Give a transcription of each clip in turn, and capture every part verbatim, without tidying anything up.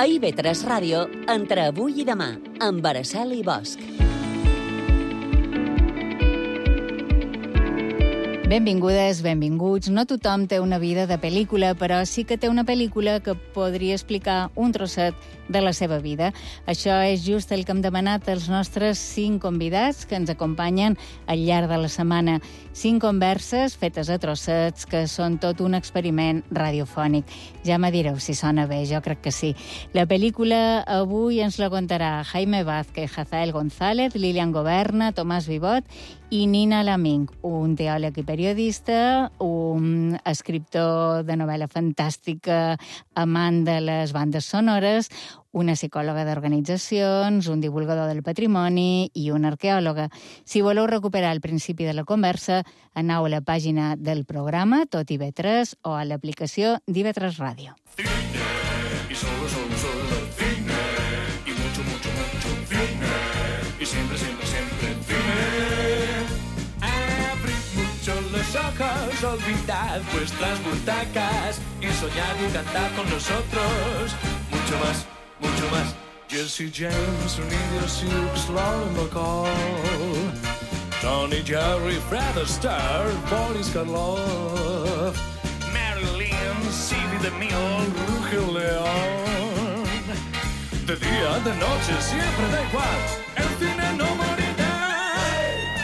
A I V tres Ràdio, entre avui i demà, amb Araceli Bosch. Benvingudes, benvinguts. No tothom té una vida de pel·lícula, però sí que té una pel·lícula que podria explicar un trosset de la seva vida. Això és just el que hem demanat als nostres cinc convidats que ens acompanyen al llarg de la setmana. Cinc converses fetes a trossets que són tot un experiment radiofònic. Ja me direu si sona bé, jo crec que sí. La pel·lícula avui ens la contarà Jaime Vázquez, Hazael González, Lilian Goberna, Tomàs Vivot i Nina Laming, un teòleg i periodista, un escriptor de novel·la fantàstica, amant de les bandes sonores, una psicòloga d'organitzacions, un divulgador del patrimoni i una arqueòloga. Si voleu recuperar el principi de la conversa, aneu a la pàgina del programa, tot I V tres, o a l'aplicació d'I V tres Ràdio. Cine, y solo, solo, solo cine, y mucho, mucho, mucho cine, y siempre, siempre, siempre cine. Abrid mucho los ojos, olvidad vuestras butacas y soñad y cantad con nosotros. Mucho más, mucho más. Jesse James, Unido Sioux, Lauren McCall, Tony Jerry, Fred Astaire, Boris Karloff, Marilyn, Silvia de Mil, Rugio León. De día, de noche, siempre da igual, el cine no morirá.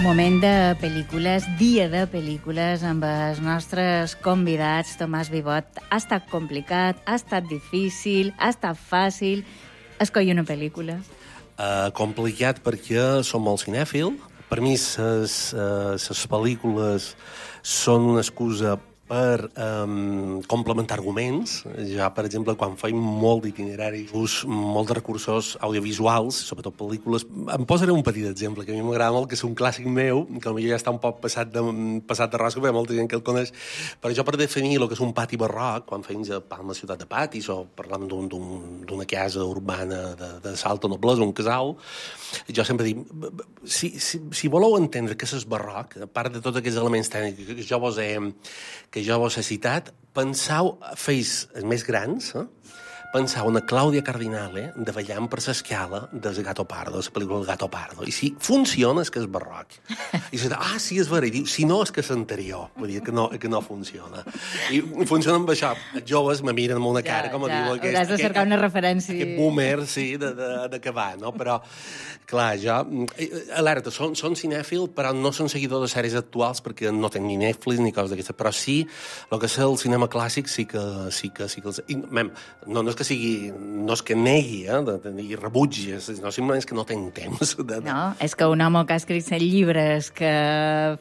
Moment de pel·lícules, dia de pel·lícules amb els nostres convidats. Tomàs Vivot, ha estat complicat, ha estat difícil, ha estat fàcil escollir una pel·lícula? Uh, complicat perquè som molt cinèfil. Per mi, les uh, pel·lícules són una excusa per um, complementar arguments. Ja, per exemple, quan faig molt d'itinerari, ús molts recursos audiovisuals, sobretot pel·lícules. Em posaré un petit exemple, que a mi m'agrada molt, que és un clàssic meu, que potser ja està un poc passat de, passat de rosca, perquè hi ha molta gent que el coneix. Però jo, per definir el que és un pati barroc, quan feim a Palma ciutat de patis, o parlem d'una casa urbana de, de salta noblesa, un casal, jo sempre dic, si, si, si voleu entendre què és barroc, a part de tots aquests elements tècnics que jo vos he que jo vos he citat, pensau, feis els més grans, eh? Pensau una Clàudia Cardinale davallant per l'escala del Gato Pardo, la pel·lícula del Gato Pardo. I si funciona és que és barroc. I si ah, sí, és vera. I diu, si no, és que és anterior. Vull dir que no, que no funciona. I funciona amb això. Els joves me miren amb una cara, ja, com a ja. diu... Aquest, Hauràs de cercar aquest, una referència. Aquest boomer, sí, de, de, de que va, no? Però, clar, jo... Alerta, són, són cinèfil, però no són seguidor de sèries actuals, perquè no tenc ni Netflix ni coses d'aquestes. Però sí, el que és el cinema clàssic sí que... Sí que, sí que els... I, mem, no, no és que sigui, no és que negui, eh, de, de, i rebutgi, no, simplement és que no tinc temps. De, de... No, és que un home que ha escrit set llibres, que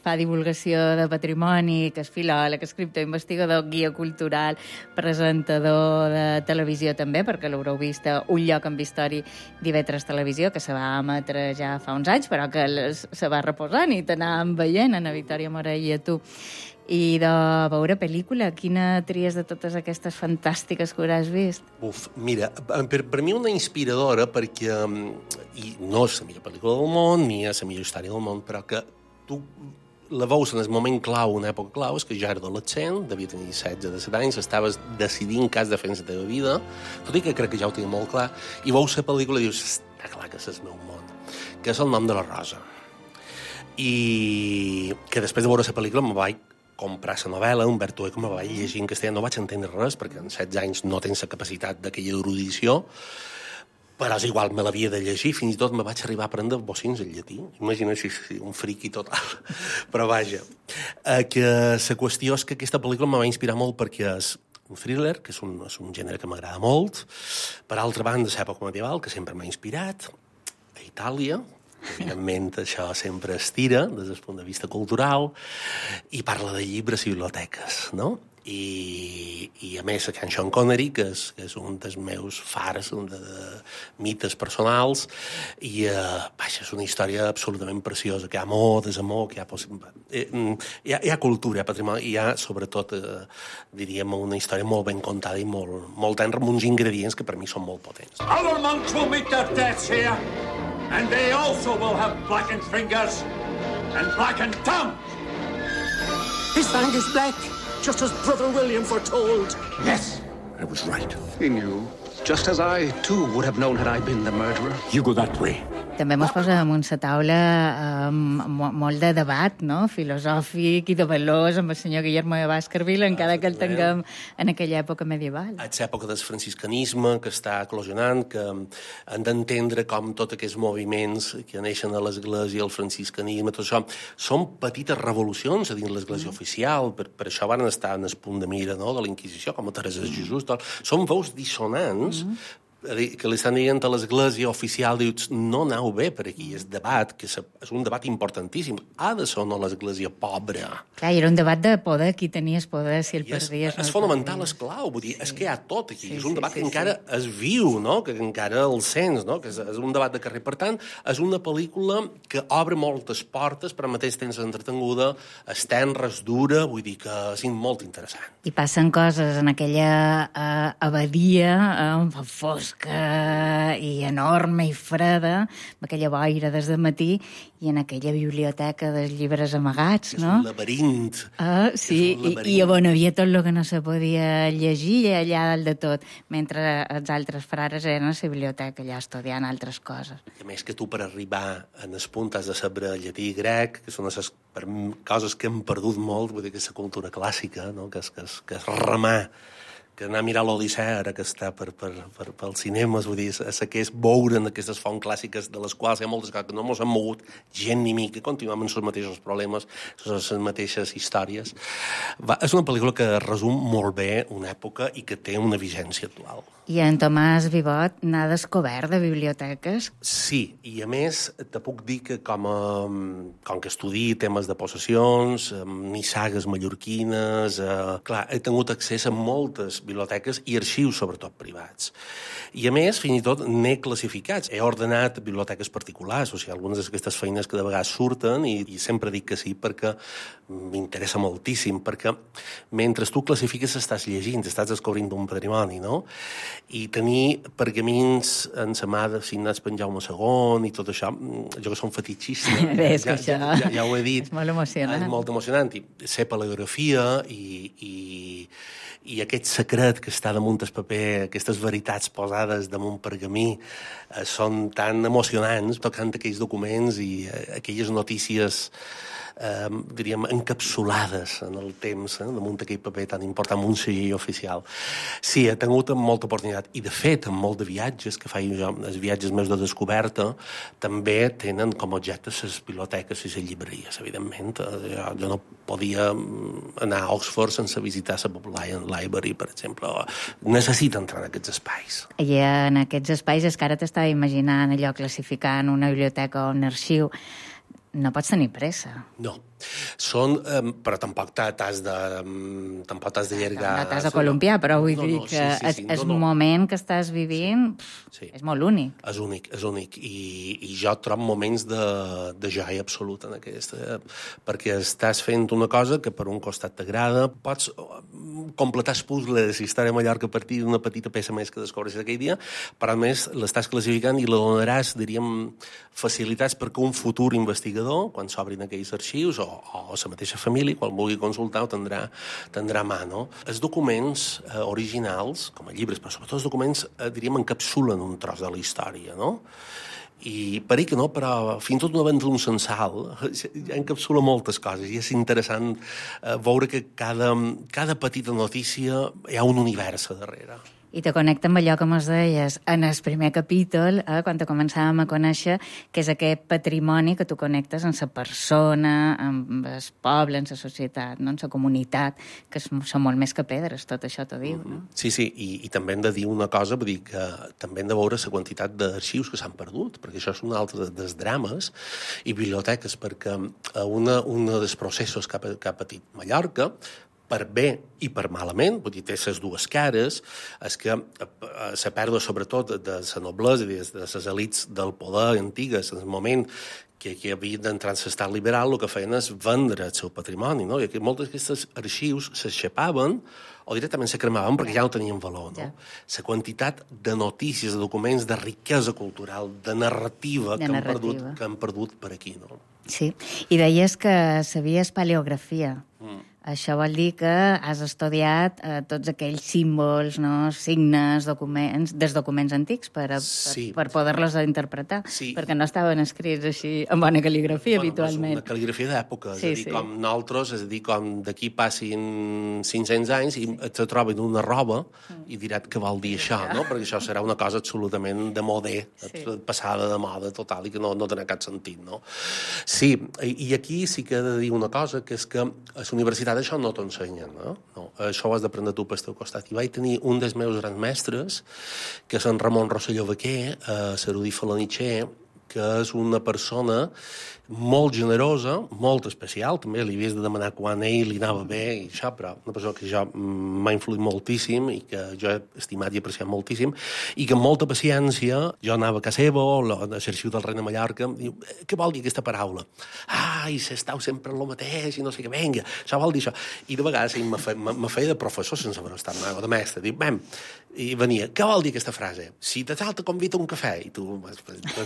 fa divulgació de patrimoni, que és filòleg, escriptor, investigador, guia cultural, presentador de televisió també, perquè l'haureu vist a Un lloc amb història d'I V tres Televisió, que se va emetre ja fa uns anys, però que les, se va reposant i t'anàvem veient, Ana Victòria Morell i a tu. I de veure pel·lícula, quina tries de totes aquestes fantàstiques que hauràs vist? Uf, mira, per, per mi una inspiradora, perquè i no és la millor pel·lícula del món, ni és la millor història del món, però que tu la veus en el moment clau, una època clau, és que jo era adolescent, devia tenir setze, disset anys, estaves decidint què has de fer en la teva vida, tot i que crec que ja ho tenia molt clar, i veus la pel·lícula i dius, està clar que és el meu món, que és El nom de la rosa. I que després de veure la pel·lícula me vaig comprar la novel·la, Umberto Eco, me vaig llegir en castellà, no vaig entendre res, perquè en setze anys no tens la capacitat d'aquella erudició, però és igual, me l'havia de llegir, fins i tot me vaig arribar a aprendre bocins en llatí. Imagina si, si un friqui total. Però vaja, eh, que la qüestió és que aquesta pel·lícula me va inspirar molt perquè és un thriller, que és un, és un gènere que m'agrada molt, per altra banda, l'època medieval, que sempre m'ha inspirat, a Itàlia, evidentment això sempre es tira des del punt de vista cultural, i parla de llibres i biblioteques, no? I, i a més, Can Sean Connery, que és, que és un dels meus fars de, de mites personals, i eh, vaja, és una història absolutament preciosa, que hi ha amor, desamor, que hi ha, eh, hi ha, hi ha cultura, hi ha patrimoni, i hi ha, sobretot, eh, diríem, una història molt ben contada i molt, molt tenra, amb uns ingredients que per mi són molt potents. Our monks will meet their deaths here, and they also will have blackened fingers and blackened tongues. His fang is black, just as Brother William foretold. Yes, I was right. He knew. Just as I, too, would have known had I been the murderer. You go that way. També mos posa damunt la taula eh, molt de debat, no?, filosòfic i de valors amb el senyor Guillermo de Baskerville, encara que el tinguem en aquella època medieval. És l'època del franciscanisme que està eclosionant, que hem d'entendre com tots aquests moviments que neixen a l'Església, el franciscanisme, tot això, són petites revolucions a dins l'Església mm. oficial, per, per això van estar en el punt de mira, no?, de la Inquisició, com a Teresa de Jesús, tot. Són veus dissonants mm. que li estan dient a l'Església oficial, dius, no aneu bé per aquí, és debat, que és un debat importantíssim. Ha de ser o no l'Església pobra? Clar, era un debat de poder, qui tenies poder, si el perdies... És, és fonamental, és clau, vull dir, sí. és que hi ha tot aquí, sí, és un debat sí, sí, que encara sí. es viu, no?, que encara el sents, no?, que és, és un debat de carrer. Per tant, és una pel·lícula que obre moltes portes, però al mateix temps entretenguda, és tenra, és dura, vull dir que és molt interessant. I passen coses en aquella uh, abadia, uh, fosca, i enorme i freda, amb aquella boira des de matí, i en aquella biblioteca dels llibres amagats, no? És un laberint. Ah, sí, un laberint. I, i on havia tot el que no se podia llegir allà dalt de tot, mentre els altres frares eren a la biblioteca allà estudiant altres coses. I a més que tu per arribar en el punt has de saber llatí i grec, que són les per coses que hem perdut molt, vull dir que és la cultura clàssica, no?, que és, que és, que és remar, que anar a mirar l'Odissea, ara que està per, per, per, pels cinemes, vull dir, és que és veure en aquestes fonts clàssiques de les quals hi ha moltes coses que no ens han mogut gent ni mi, que continuem amb els mateixos problemes, les mateixes històries. Va, és una pel·lícula que resum molt bé una època i que té una vigència actual. I en Tomàs Vivot n'ha descobert de biblioteques? Sí, i a més te puc dir que com, a, com que estudi temes de possessions, nissagues mallorquines, eh, clar, he tingut accés a moltes biblioteques i arxius, sobretot privats. I a més, fins i tot n'he classificats. He ordenat biblioteques particulars, o sigui, algunes d'aquestes feines que de vegades surten i, i sempre dic que sí perquè m'interessa moltíssim, perquè mentre tu classifiques estàs llegint, estàs descobrint un patrimoni, no? I tenir pergamins en sa mà signats per en Jaume segon i tot això, jo que som fetitxista, és ja, que això ja, ja, ja ho he dit. És molt emocionant. És molt emocionant. I sé palegrafia i, i, i aquest secret que està damunt el paper, aquestes veritats posades damunt pergamí, eh, són tan emocionants, tocant aquells documents i eh, aquelles notícies Eh, diríem, encapsulades en el temps, eh, damunt d'aquell paper tan important, amb un segell oficial. Sí, he tingut molta oportunitat, i de fet, en molt de viatges que faig jo, els viatges més de descoberta, també tenen com a objecte les biblioteques i les llibreries, evidentment. Jo, jo no podia anar a Oxford sense visitar la Bodleian Library, per exemple. Necessita entrar en aquests espais. I en aquests espais és que ara t'estava imaginant allò classificant una biblioteca o un arxiu. No pots tenir pressa. No. Són, um, però tampoc t'has de, um, tampoc t'has de llargar... No t'has de columpiar, però vull no, dir no, que sí, sí, sí, el no, no. moment que estàs vivint sí. és molt únic. És únic, és únic. I, i jo trobo moments de, de joia absoluta en aquesta, perquè estàs fent una cosa que per un costat t'agrada, pots completar el puzzle de la història de Mallorca a partir d'una petita peça més que descobres aquell dia, però a més l'estàs classificant i la donaràs, diríem, facilitats perquè un futur investigador, quan s'obrin aquells arxius, o, o la mateixa família, quan vulgui consultar, ho tindrà, tindrà a mà, no? Els documents eh, originals, com a llibres, però sobretot els documents, eh, diríem, encapsulen un tros de la història, no? I per que no, però fins i tot una venda d'un censal ja encapsula moltes coses i és interessant eh, veure que cada, cada petita notícia hi ha un univers a darrere. I te connecta amb allò que mos deies en el primer capítol, eh, quan te començàvem a conèixer, que és aquest patrimoni que tu connectes amb la persona, amb el poble, amb la societat, no? amb la comunitat, que són molt més que pedres, tot això t'ho diu, no? Sí, sí, i, i també hem de dir una cosa, vull dir que també hem de veure la quantitat d'arxius que s'han perdut, perquè això és un altre dels drames, i biblioteques, perquè una, una dels processos que ha, que ha patit Mallorca, per bé i per malament, vull dir, té les dues cares, és que la pèrdua, sobretot, de la noblesa i de les elits del poder antigues, en el moment que, que havien d'entrar en l'estat liberal, el que feien és vendre el seu patrimoni, no? I que molts d'aquests arxius s'aixapaven o directament se cremaven perquè ja no tenien valor, no? La quantitat de notícies, de documents, de riquesa cultural, de narrativa, de que, narrativa. Han perdut, que han perdut per aquí, no? Sí, i deies que sabies paleografia. Mm. Això vol dir que has estudiat eh, tots aquells símbols, no? Signes, documents, dels documents antics per, a, sí. per, per poder-los interpretar, sí. perquè no estaven escrits així en bona cal·ligrafia, bueno, habitualment. Una cal·ligrafia d'època, és sí, a dir, sí. com nosaltres, és a dir, com d'aquí passin cinc-cents anys i te troben una roba i diran què vol dir això, no? Perquè això serà una cosa absolutament de modè, sí. passada de moda total i que no, no té cap sentit, no? Sí, i, i aquí sí que he de dir una cosa, que és que a la universitat això no t'ensenyen, no? no? Això ho has d'aprendre tu pel teu costat. I vaig tenir un dels meus grans mestres, que és en Ramon Rosselló Baquer, a l'erudit Felanitxer, que és una persona molt generosa, molt especial, també li havies de demanar quan ell li anava bé i això, però una persona que jo m'ha influït moltíssim i que jo he estimat i apreciat moltíssim, i que amb molta paciència jo anava a casa seva o a l'Arxiu del Regne de Mallorca, i diu, què vol dir aquesta paraula? Ai, s'estau sempre en el mateix i no sé què, vinga, això vol dir això. I de vegades me feia, me feia de professor sense haver estat mai, o de mestre, diu, bem, i venia, què vol dir aquesta frase? Si te tal te convida un cafè, i tu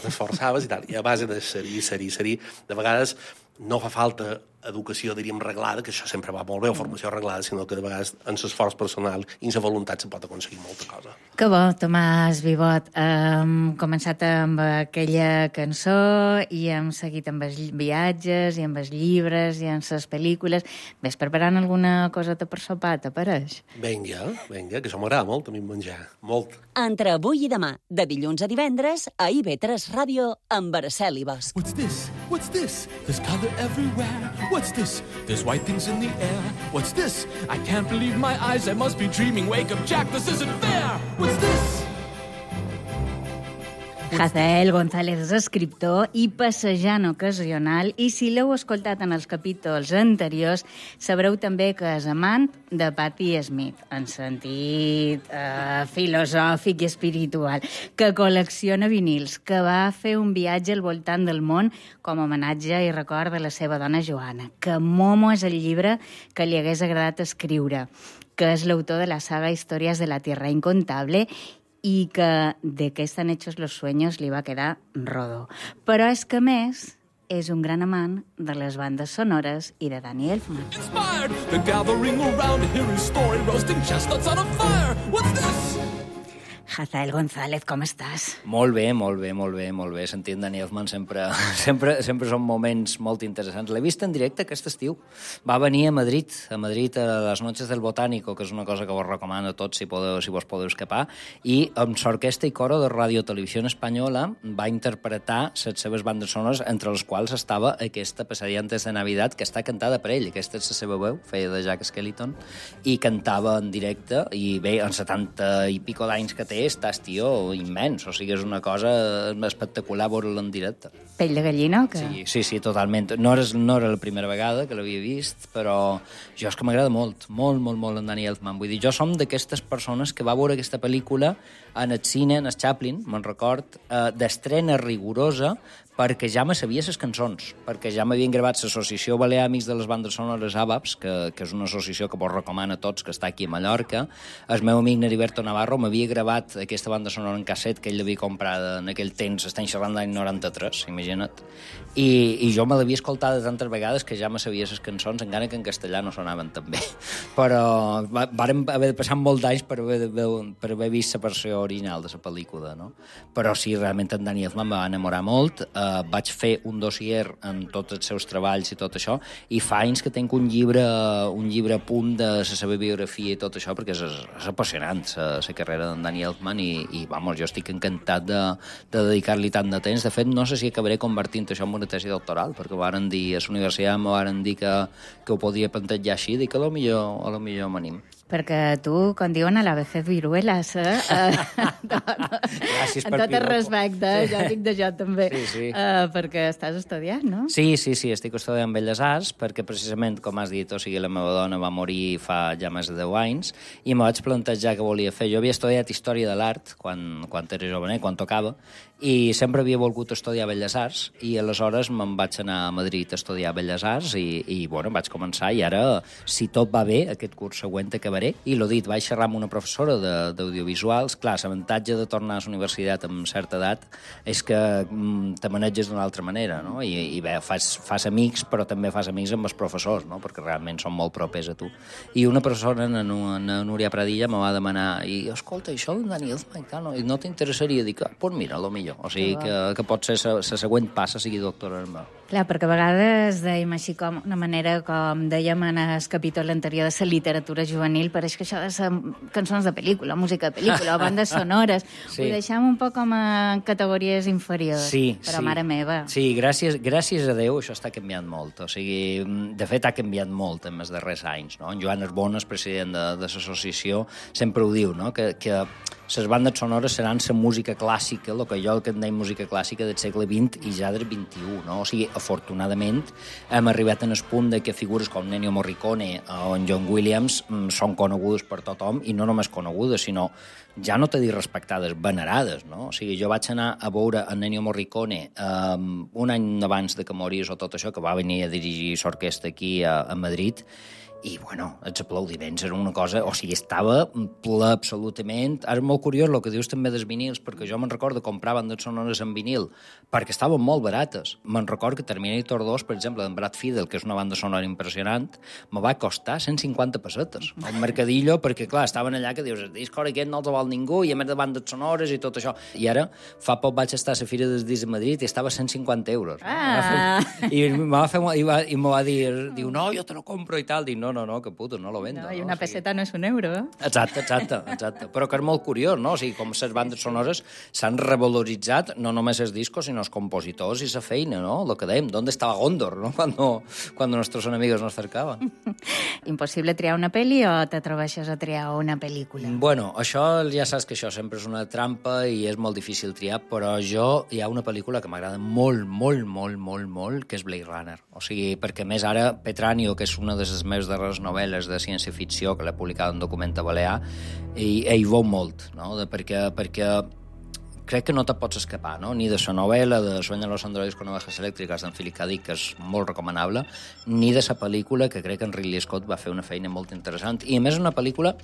t'esforçaves i tal, i a base de serir, serir, serir, de vegades no fa falta educació, diríem, reglada, que això sempre va molt bé, o formació reglada, sinó que de vegades en l'esforç personal i en la voluntat se pot aconseguir molta cosa. Que bo, Tomàs Vivot. Hem començat amb aquella cançó i hem seguit amb els viatges i amb els llibres i amb les pel·lícules. Ves preparant alguna coseta per sopar, t'apareix? Vinga, vinga, que això m'agrada molt, a mi menjar. Molt. Entre avui i demà, de dilluns a divendres, a I B tres Ràdio, amb Araceli Bosch. What's this? What's this? There's color everywhere. What's this? There's white things in the air. What's this? I can't believe my eyes. I must be dreaming. Wake up, Jack. This isn't fair. What's this? Hazael González és escriptor i passejant ocasional, i si l'heu escoltat en els capítols anteriors, sabreu també que és amant de Patti Smith, en sentit eh, filosòfic i espiritual, que col·lecciona vinils, que va fer un viatge al voltant del món com a homenatge i record de la seva dona Joana, que Momo és el llibre que li hagués agradat escriure, que és l'autor de la saga Històries de la Tierra Incontable i que de què estan hechos los sueños li va quedar rodo. Però és que, més, és un gran amant de les bandes sonores i de Danny Elfman. Inspired, the gathering around to hear his story, roasting chestnuts on a fire. What's this? Hazael González, com estàs? Molt bé, molt bé, molt bé, molt bé. Sentint Danny Elfman sempre, sempre, sempre són moments molt interessants. L'he vist en directe aquest estiu. Va venir a Madrid, a Madrid a les Noches del Botánico, que és una cosa que vos recomano a tots si, podeu, si vos podeu escapar, i amb l'orquestra i coro de Radio Televisió Espanyola va interpretar les seves bandes sonores, entre les quals estava aquesta Pesadilla antes de Navidad, que està cantada per ell. Aquesta és la seva veu, feia de Jack Skellington, i cantava en directe, i bé, en setanta i pico d'anys que té, estàs, tio, immens. O sigui, és una cosa espectacular veure-la en directe. Pell de gallina o què? Sí, sí, sí, totalment. No era, no era la primera vegada que l'havia vist, però jo és que m'agrada molt, molt, molt, molt en Danny Elfman. Vull dir, jo som d'aquestes persones que va veure aquesta pel·lícula en el cine, en el Chaplin, me'n record, eh, d'estrena rigorosa, perquè ja me sabia les cançons, perquè ja m'havien gravat l'Associació Balear Amics de les Bandes Sonores A B A P S, que, que és una associació que vos recomana a tots, que està aquí a Mallorca. El meu amic Neriberto Navarro m'havia gravat aquesta banda sonora en casset que ell l'havia comprada en aquell temps, estem xerrant d'any noranta-tres, imagina't, i, i jo me l'havia escoltada tantes vegades que ja me sabia les cançons, encara que en castellà no sonaven tan bé. Però vàrem haver de passar molt d'anys per haver, per haver vist la versió original de la pel·lícula, no? Però sí, realment en Danny Elfman me va enamorar molt. Uh, vaig fer un dossier en tots els seus treballs i tot això, i fa anys que tinc un llibre un llibre a punt de la seva biografia i tot això, perquè és, és apassionant la carrera d'en Danny Elfman, i, i vamos, jo estic encantat de, de dedicar-li tant de temps. De fet, no sé si acabaré convertint això en una tesi doctoral, perquè varen dir, a la universitat m'ho varen dir que, que ho podia plantejar així, i que a lo millor, a lo millor m'anim. Perquè tu, com diuen, a la vejez viruelas, eh? Gràcies per amb tot el piropo. respecte, Sí. jo dic de jo també, Sí, sí. Uh, perquè estàs estudiant, no? Sí, sí, sí, estic estudiant Belles Arts perquè precisament, com has dit, o sigui, la meva dona va morir fa ja més de deu anys i me vaig plantejar què volia fer. Jo havia estudiat Història de l'Art quan, quan era jovenet, quan tocava, i sempre havia volgut estudiar Belles Arts i aleshores me'n vaig anar a Madrid a estudiar Belles Arts i, i bueno, vaig començar i ara, si tot va bé, aquest curs següent acabaré. I l'ho dit, vaig xerrar amb una professora de- d'audiovisuals. Clar, l'avantatge de tornar a la universitat amb certa edat és que mm, te maneges d'una altra manera, no? I, i bé, fas, fas amics, però també fas amics amb els professors, no? Perquè realment són molt propers a tu. I una professora, na, na Núria Pradilla, me va demanar, i escolta, això d'en Dani Elfman, no, no t'interessaria? Dic, ah, pues mira, lo millor. O sigui, que, que pot ser la següent passa sigui doctora en meu. Clar, perquè a vegades dèiem així com una manera, com dèiem en el capítol anterior de la literatura juvenil, pareix que això de ser cançons de pel·lícula, música de pel·lícula, o bandes sonores, Sí. ho deixem un poc com a categories inferiors. Sí, però sí. mare meva. Sí, gràcies, gràcies a Déu això està canviant molt. O sigui, de fet, ha canviat molt en els darrers anys. No? En Joan Arbona, el president de, de l'associació, sempre ho diu, no? que, que les bandes sonores seran la música clàssica, el que jo que en deim música clàssica del segle vint i ja del vint-i-u. No? O sigui, afortunadament, hem arribat en el punt de que figures com Ennio Morricone o en John Williams mm, són conegudes per tothom, i no només conegudes, sinó ja no t'he dit respectades, venerades, no? O sigui, jo vaig anar a veure en Ennio Morricone um, un any abans de que morís o tot això, que va venir a dirigir l'orquestra aquí a, a Madrid, i, bueno, els aplaudiments eren una cosa... O sigui, estava ple absolutament... És molt curiós el que dius també dels vinils, perquè jo me'n recordo comprar bandes sonores en vinil, perquè estaven molt barates. Me'n recordo que Terminator dos, per exemple, d'en Brad Fiedel, que és una banda sonora impressionant, me va costar cent cinquanta pessetes al mercadillo, perquè, clar, estaven allà que dius, el disc aquest no els vol ningú, i a més de bandes sonores i tot això. I ara, fa poc vaig estar a la Fira dels Discs a Madrid i estava a cent cinquanta euros. Ah. I me va fer... I, va, i me va dir, diu, no, jo te lo compro i tal. Dic, no, no, no, que puto, no lo vendo. No, I no? una O sigui, peseta no és un euro, eh? Exacte, exacte, exacte. Però que és molt curiós, no? O sigui, com les bandes sonores s'han revaloritzat, no només els discos, sinó els compositors i la feina, no? Lo que dèiem, ¿dónde estaba Gondor, no? Cuando, cuando nuestros enemigos nos cercaban. Impossible triar una pel·li o t'atreveixes a triar una pel·lícula? Bueno, això ja saps que això sempre és una trampa i és molt difícil triar, però jo hi ha una pel·lícula que m'agrada molt, molt, molt, molt, molt, que és Blade Runner. O sigui, perquè més ara Petranio, que és una de les meves darreres novel·les de ciència-ficció, que l'he publicat en Documenta Balear, i, i hi veu molt, no? De, perquè, perquè crec que no te pots escapar, no? Ni de la novel·la de Sueñan los androides con ovejas elèctriques d'en Philip K. Dick, que és molt recomanable, ni de la pel·lícula, que crec que en Ridley Scott va fer una feina molt interessant. I a més és una pel·lícula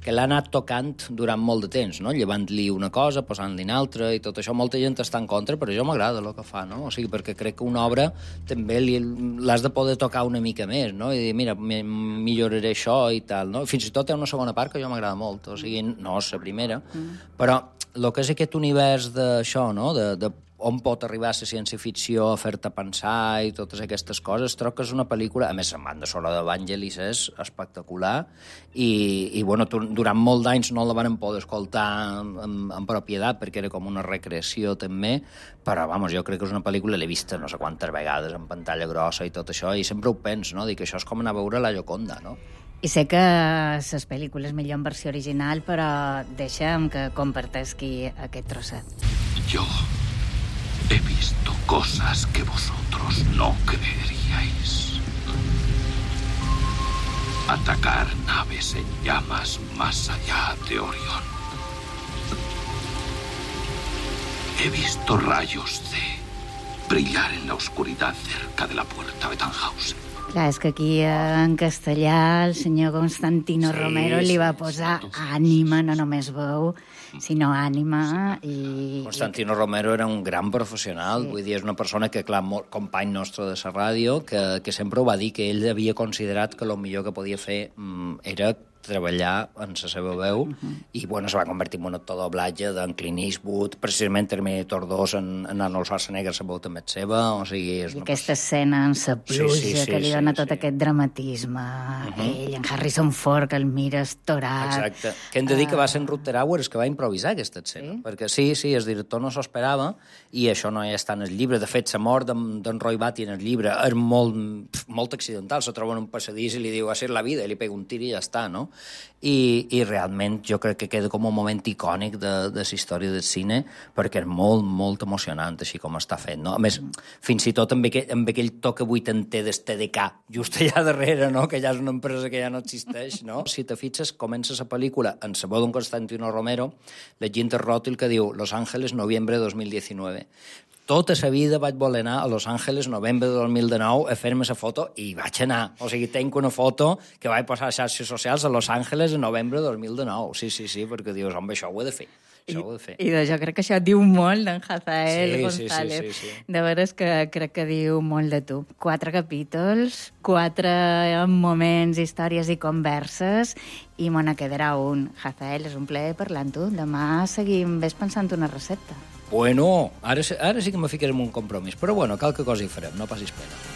que l'ha anat tocant durant molt de temps, no? Llevant-li una cosa, posant-li una altra, i tot això. Molta gent està en contra, però jo m'agrada el que fa, no? O sigui, perquè crec que una obra també l'has de poder tocar una mica més, no? I dir, mira, milloraré això i tal, no? Fins i tot hi ha una segona part que jo m'agrada molt, o sigui, no és la primera, mm. però el que és aquest univers d'això, no?, de, de on pot arribar la ciència-ficció a fer-te pensar i totes aquestes coses, trobo que és una pel·lícula, a més, la banda sonora d'Evangelis és espectacular i, i bueno, durant molt d'anys no la van poder escoltar en, en propietat perquè era com una recreació també, però, vamos, jo crec que és una pel·lícula, l'he vista no sé quantes vegades en pantalla grossa i tot això, i sempre ho penso, no?, dic que això és com anar a veure la Gioconda, no? I sé que les pel·lícules millor en versió original, però deixa'm que compartesqui aquest trosset. Yo he visto cosas que vosotros no creeríais. Atacar naves en llamas más allá de Orión. He visto rayos de brillar en la oscuridad cerca de la puerta de Tannhausen. Clar, és que aquí en castellà el senyor Constantino Sí, Romero li va sí, posar ànima, no només veu, sinó ànima. I... Constantino Romero era un gran professional, sí. Vull dir, és una persona que, clar, molt company nostre de la ràdio, que, que sempre ho va dir, que ell havia considerat que el millor que podia fer mm, era treballar en la seva veu, uh -huh. i bueno, se va convertir en un actor doblatge d'en Clint Eastwood, precisament Terminator dos en, en Arnold Schwarzenegger la veu també és seva, o sigui... És I aquesta escena en la pluja, sí, sí, sí, que li sí, dona sí, tot sí. aquest dramatisme, uh -huh. ell, en Harrison Ford, que el mira estorat... Exacte. Que hem de dir que va ser en Rutger Hauer el que va improvisar aquesta escena, sí? Perquè sí, sí, el director no s'ho esperava, i això no hi està en el llibre. De fet, la mort d'en Roy Batty en el llibre és molt, molt accidental, se troba en un passadís i li diu, va ser la vida, i li pega un tir i ja està, no? I, i realment jo crec que queda com un moment icònic de, de la història del cine, perquè és molt, molt emocionant així com està fet, no? A més, fins i tot amb aquell, amb aquell toc vuitanta del T D K, just allà darrere, no? Que ja és una empresa que ja no existeix, no? Si te fixes, comença la pel·lícula en la veu d'un Constantino Romero, llegint el ròtil que diu Los Ángeles, noviembre de dos mil diecinueve. Tota la vida vaig voler anar a Los Ángeles, novembre de dos mil dinou, a fer-me la foto, i vaig anar. O sigui, tenc una foto que vaig posar a xarxes socials a Los Ángeles en novembre de dos mil dinou. Sí, sí, sí, perquè dius, home, això ho he de fer. Això ho he de fer. I, i jo crec que això diu molt d'en Hazael sí, González. Sí, sí, sí, sí. De veres que crec que diu molt de tu. Quatre capítols, quatre moments, històries i converses, i me n'ha quedarà un. Hazael, és un plaer parlar amb tu. Demà seguim ves pensant una recepta. Bueno, ara, ara sí que me ficarem un compromís, però bueno, qualque cosa hi farem, no passis pena.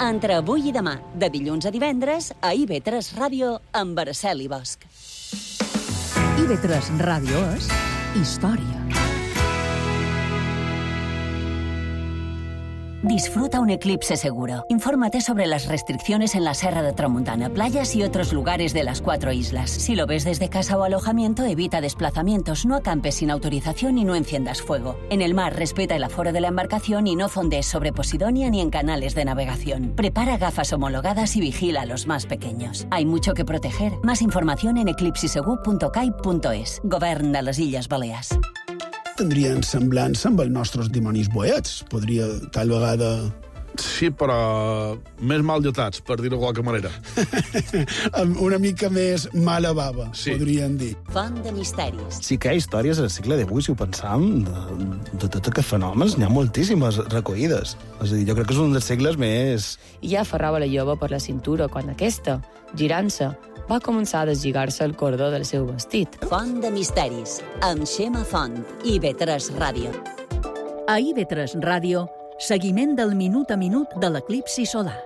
Entre avui i demà, de dilluns a divendres, a I V tres Ràdio, amb Araceli Bosch. I V tres Ràdio és història. Disfruta un eclipse seguro. Infórmate sobre las restricciones en la Serra de Tramuntana, playas y otros lugares de las cuatro islas. Si lo ves desde casa o alojamiento, evita desplazamientos, no acampes sin autorización y no enciendas fuego. En el mar, respeta el aforo de la embarcación y no fondees sobre Posidonia ni en canales de navegación. Prepara gafas homologadas y vigila a los más pequeños. Hay mucho que proteger. Más información en eclipsisegur punto cai punto es. Govern de les Illes Balears. Tindrien semblança amb els nostres dimonis boets. Podria, tal vegada... Sí, però més mal dotats, per dir-ho de qualque manera. Amb una mica més mala bava, sí. Podrien dir. Font de misteris. Sí que hi ha històries al segle divuit, si ho pensam, de, de tots aquests fenòmens, n'hi ha moltíssimes recollides. És a dir, jo crec que és un dels segles més... I ja aferrava la jove per la cintura quan aquesta, girant-se, va començar a deslligar-se el cordó del seu vestit. Font de misteris, amb Xema Font, I V tres Ràdio. A I V tres Ràdio, seguiment del minut a minut de l'eclipsi solar.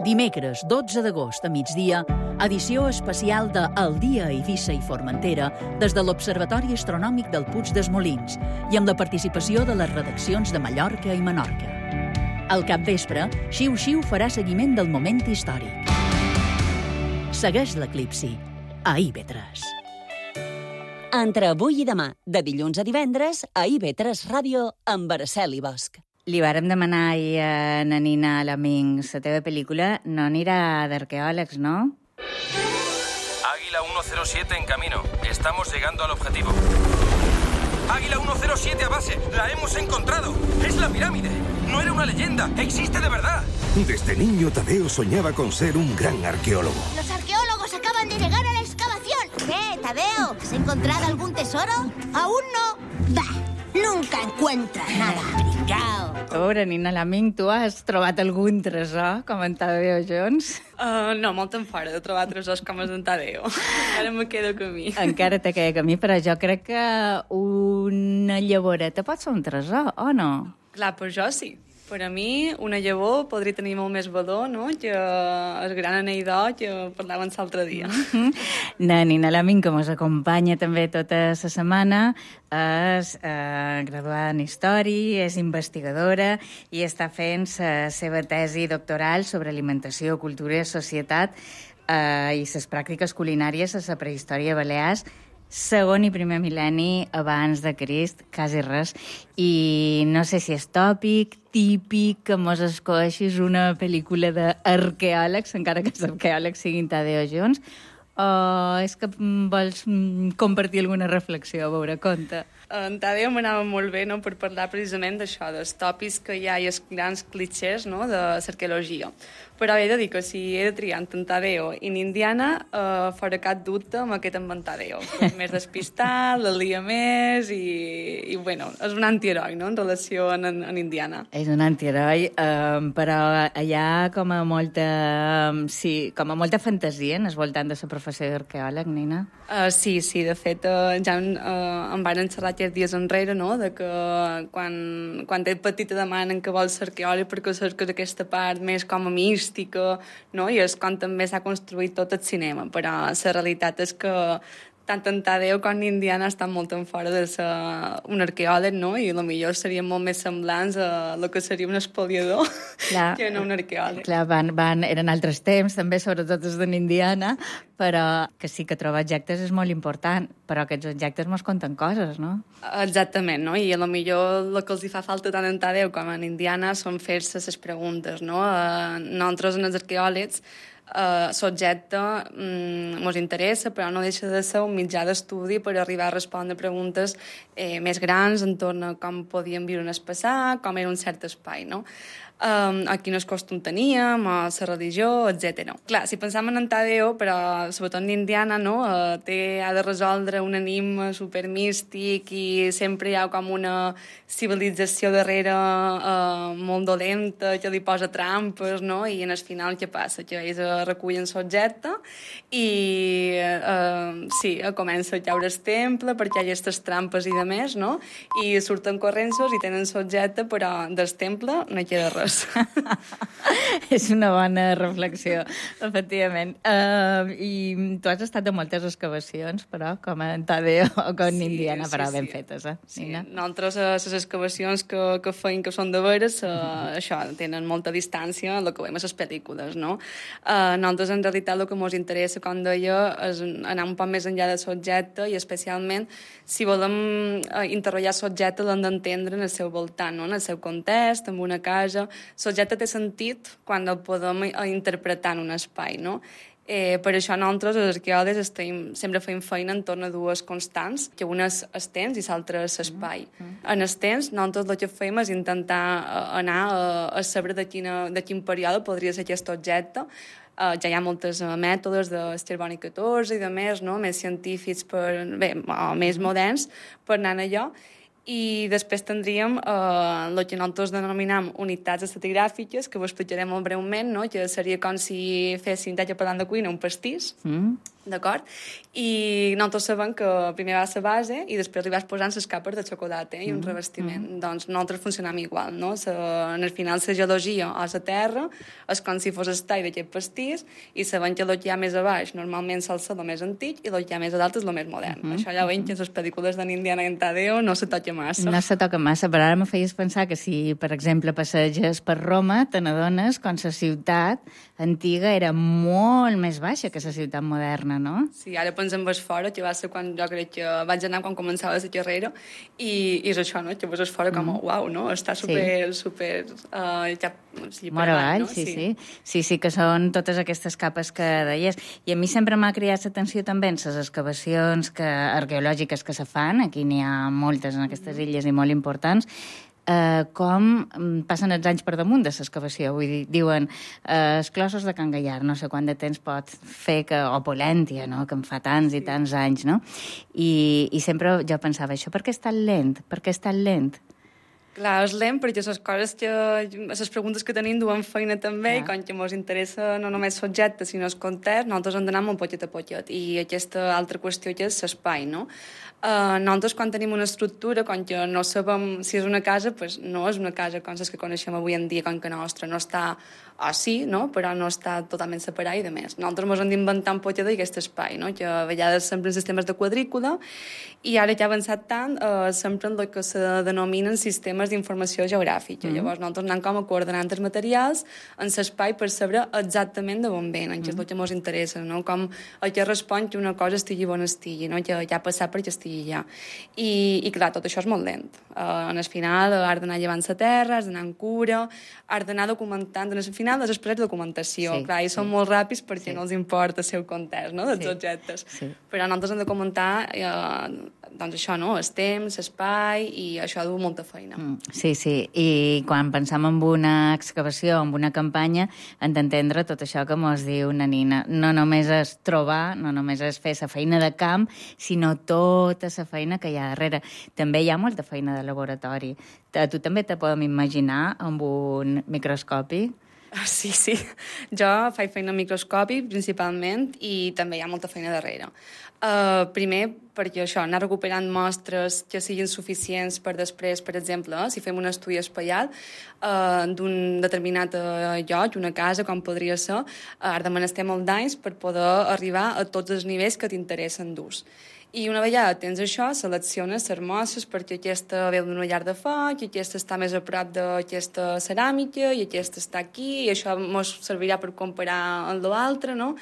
Dimecres, dotze d'agost a migdia, edició especial de El dia a Eivissa i Formentera des de l'Observatori Astronòmic del Puig dels Molins i amb la participació de les redaccions de Mallorca i Menorca. Al capvespre, Xiu Xiu farà seguiment del moment històric. Segueix l'eclipsi a I V tres. Entre avui i demà, de dilluns a divendres, a I V tres Ràdio, amb Araceli Bosch. Li vàrem demanar ahir a na Nina Laming la teva pel·lícula no anirà d'arqueòlegs, no? Águila ciento siete en camino. Estamos llegando al objetivo. Águila ciento siete a base. La hemos encontrado. Es la pirámide. No era una leyenda. Existe de verdad. Desde niño, Tadeo soñaba con ser un gran arqueólogo. Los arqueólogos acaban de llegar a la excavación. ¿Qué, Tadeo? ¿Has encontrado algún tesoro? Aún no. Bah, nunca encuentras nada. Pringao. Pobre Nina Laming, tu has trobat algun tresor, com en Tadeo Jones? Uh, no, molt en fora de trobar tresors com els d'en Tadeo. Encara me queda camí. Encara te queda camí, però jo crec que una llavoreta pot ser un tresor, o no? Clar, per jo sí. Per a mi, una llavor podria tenir molt més valor, no?, que el gran anell d'or que parlàvem l'altre dia. La Nina Laming, que ens acompanya també tota la setmana, és eh, graduada en Història, és investigadora i està fent la seva tesi doctoral sobre alimentació, cultura i societat eh, i les pràctiques culinàries a la prehistòria balears, segon i primer mil·lenni abans de Crist, quasi res. I no sé si és tòpic, típic, que mos escoixis una pel·lícula d'arqueòlegs, encara que els arqueòlegs siguin Tadeo Jones, o és que vols compartir alguna reflexió, a veure, conta. En Tadeo m'anava molt bé, no?, per parlar precisament d'això, dels tòpics que hi ha i els grans clichés, no?, de l'arqueologia. Però he de dir que si he de triar entre en Tadeo i en Indiana, eh, faré cap dubte amb aquest amb en Tadeo. És més despistat, la lia més i, i bueno, és un antiheroi, no?, en relació amb en, en Indiana. És un antiheroi, eh, però hi ha com a molta, sí, com a molta fantasia en el voltant de la professió professió d'arqueòleg, Nina? Uh, sí, sí, de fet, uh, ja uh, em van xerrar aquests dies enrere, no?, de que quan, quan ets petita demanen que vols ser arqueòleg perquè cerques aquesta part més com a mística, no?, i és com també s'ha construït tot el cinema, però la realitat és que tant en Tadeu com en Indiana estan molt en fora de ser un arqueòleg, no?, i potser serien molt més semblants a el que seria un espoliador clar, que no un arqueòleg. Clar, van, van, eren altres temps, també, sobretot els d'en Indiana, però que sí que trobar objectes és molt important, però aquests objectes mos conten coses, no? Exactament, no? I a lo millor el que els hi fa falta tant en Tadeu com en Indiana són fer-se les preguntes, no? Uh, nosaltres, en els arqueòlegs, Uh, l'objecte um, ens interessa, però no deixa de ser un mitjà d'estudi per arribar a respondre preguntes eh, més grans en torn a com podíem viure en el passat, com era un cert espai, no? Um, a quines costum teníem, a la religió, etcètera. Clar, si pensam en Tadeu, però sobretot en Indiana, no? Uh, té, ha de resoldre un enigma supermístic i sempre hi ha com una civilització darrere uh, molt dolenta que li posa trampes, no? I en el final què passa? Que ells recullen l'objecte i uh, sí, comença a caure el temple perquè hi ha aquestes trampes i de més, no? I surten corrents i tenen l'objecte, però del temple no hi queda res. És una bona reflexió, efectivament. Uh, I tu has estat a moltes excavacions, però, com en Tadeu o com en sí, Indiana, però sí, ben sí. fetes, eh? Sí. Nosaltres, les excavacions que, que feim, que són de veres, uh, mm. això, tenen molta distància en el que veiem a les pel·lícules, no? Uh, nosaltres, en realitat, el que ens interessa, com deia, és anar un poc més enllà de l'objecte i, especialment, si volem uh, interrogar l'objecte, l'hem d'entendre en el seu voltant, no? En el seu context, en una casa. L'objecte té sentit quan el podem interpretar en un espai, no? Eh, per això nosaltres, els arqueòlegs, estem, sempre fem feina en torn a dues constants, que una és el temps i l'altra és l'espai. Mm -hmm. En el temps, nosaltres el que fem és intentar anar a, a saber de, quina, de quin període podria ser aquest objecte. Uh, ja hi ha moltes uh, mètodes de Carboni catorze i de més, no? Més científics, per, bé, o més moderns, per anar a allò. I després tindríem eh, el que nosaltres denominam unitats estratigràfiques, que ho explicaré molt breument, no? Que seria com si féssim, ja que parlant de cuina, un pastís, mm. d'acord? I nosaltres sabem que primer va a la base i després li vas posant les capes de xocolata eh, i un mm. revestiment. Mm. Doncs nosaltres funcionam igual, no? La, en el final, la geologia a la terra és com si fos el tall d'aquest pastís i sabem que el que hi ha més a baix normalment sol ser el més antic i el que hi ha més a dalt és el més modern. Mm. Això ja ho veiem que en les pel·lícules d'en Indiana i en Tadeu no se toca massa. No se toca massa, però ara me feies pensar que si, per exemple, passeges per Roma, te n'adones com la ciutat antiga era molt més baixa que la ciutat moderna, no? Sí, ara pensem ves fora, que va ser quan jo crec que vaig anar quan començava la carrera, i, i és això, no? Que ves fora com, mm. uau, no? Està super, sí. super... Uh, ja, sí, Mor avall, no? sí, sí, sí. Sí, sí, que són totes aquestes capes que deies. I a mi sempre m'ha cridat l'atenció també en les excavacions que, arqueològiques que se fan, aquí n'hi ha moltes en aquestes illes i molt importants, eh, com passen els anys per damunt de l'excavació. Vull dir, diuen, eh, els clossos de Can Gallar, no sé quant de temps pot fer, que, o Polèntia, no?, que en fa tants i tants anys, no? I, i sempre jo pensava, això per què és tan lent? Per què és tan lent? Clar, és lent perquè les coses que... les preguntes que tenim duen feina també, i com que ens interessa no només l'objecte, sinó el context, nosaltres hem d'anar molt poquet a poquet. I aquesta altra qüestió que és l'espai, no? Uh, nosaltres, quan tenim una estructura, com que no sabem si és una casa, pues no és una casa com les que coneixem avui en dia, com que nostra no està, o sí, no? Però no està totalment separada i de més. Nosaltres ens hem d'inventar un poquet d'aquest espai, no? Que a vegades sempre en sistemes de quadrícula, i ara que ha avançat tant, uh, sempre en el que se denominen sistemes d'informació geogràfica. Mm-hmm. Llavors, nosaltres anem com a coordenant els materials en l'espai per saber exactament de on venen, que és el que ens interessa, no? Com el que respon que una cosa estigui on estigui, no? Que ja ha passat perquè estigui ja. I, i clar, tot això és molt lent. Uh, en el final has d'anar llevant la terra, has d'anar en cura, has d'anar documentant. En el final les després de documentació. Sí, clar, i sí. Són molt ràpids perquè sí. No els importa el seu context, no?, dels sí. objectes. Sí. Però nosaltres hem de comentar eh, doncs això, no?, el temps, l'espai, i això du molta feina. Mm, sí, sí. I quan pensam en una excavació, en una campanya, hem d'entendre tot això que mos diu una Nina. No només és trobar, no només és fer la feina de camp, sinó tota la feina que hi ha darrere. També hi ha molta feina de laboratori. A tu també te podem imaginar amb un microscopi Sí, sí. Jo faig feina al microscopi, principalment, i també hi ha molta feina darrere. Uh, primer, perquè això, anar recuperant mostres que siguin suficients per després, per exemple, eh, si fem un estudi espaial uh, d'un determinat uh, lloc, una casa, com podria ser, uh, ara demanestem molt d'anys per poder arribar a tots els nivells que t'interessen d'ús. I una vegada tens això, selecciones les mostres perquè aquesta veu d'una llar de foc, i aquesta està més a prop d'aquesta ceràmica, i aquesta està aquí, i això ens servirà per comparar amb l'altre, no?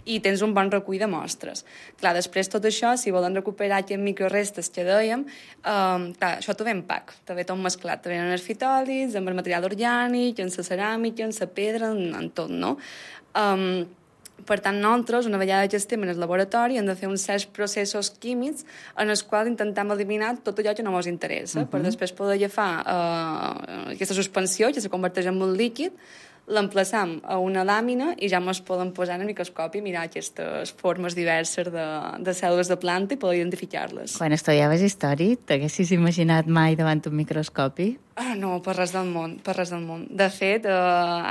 I tens un bon recull de mostres. Clar, després tot això, si volen recuperar aquests microrestes que dèiem, um, clar, això t'ho ve en pack, t'ho ve tot mesclat, t'ho ve en els fitòlits, amb el material orgànic, en la ceràmica, en la pedra, en, en tot, no? Um, Per tant, nosaltres, una vegada que estem en el laboratori, hem de fer uns certs processos químics en els quals intentem eliminar tot allò que no ens interessa, uh -huh. per després poder agafar uh, aquesta suspensió, que se converteix en un líquid, l'emplaçam a una làmina i ja ens poden posar en el microscopi i mirar aquestes formes diverses de, de cèl·lules de planta i poder identificar-les. Quan estudiaves història, t'haguessis imaginat mai davant un microscopi? Ah, no, per res del món, per res del món. De fet, eh,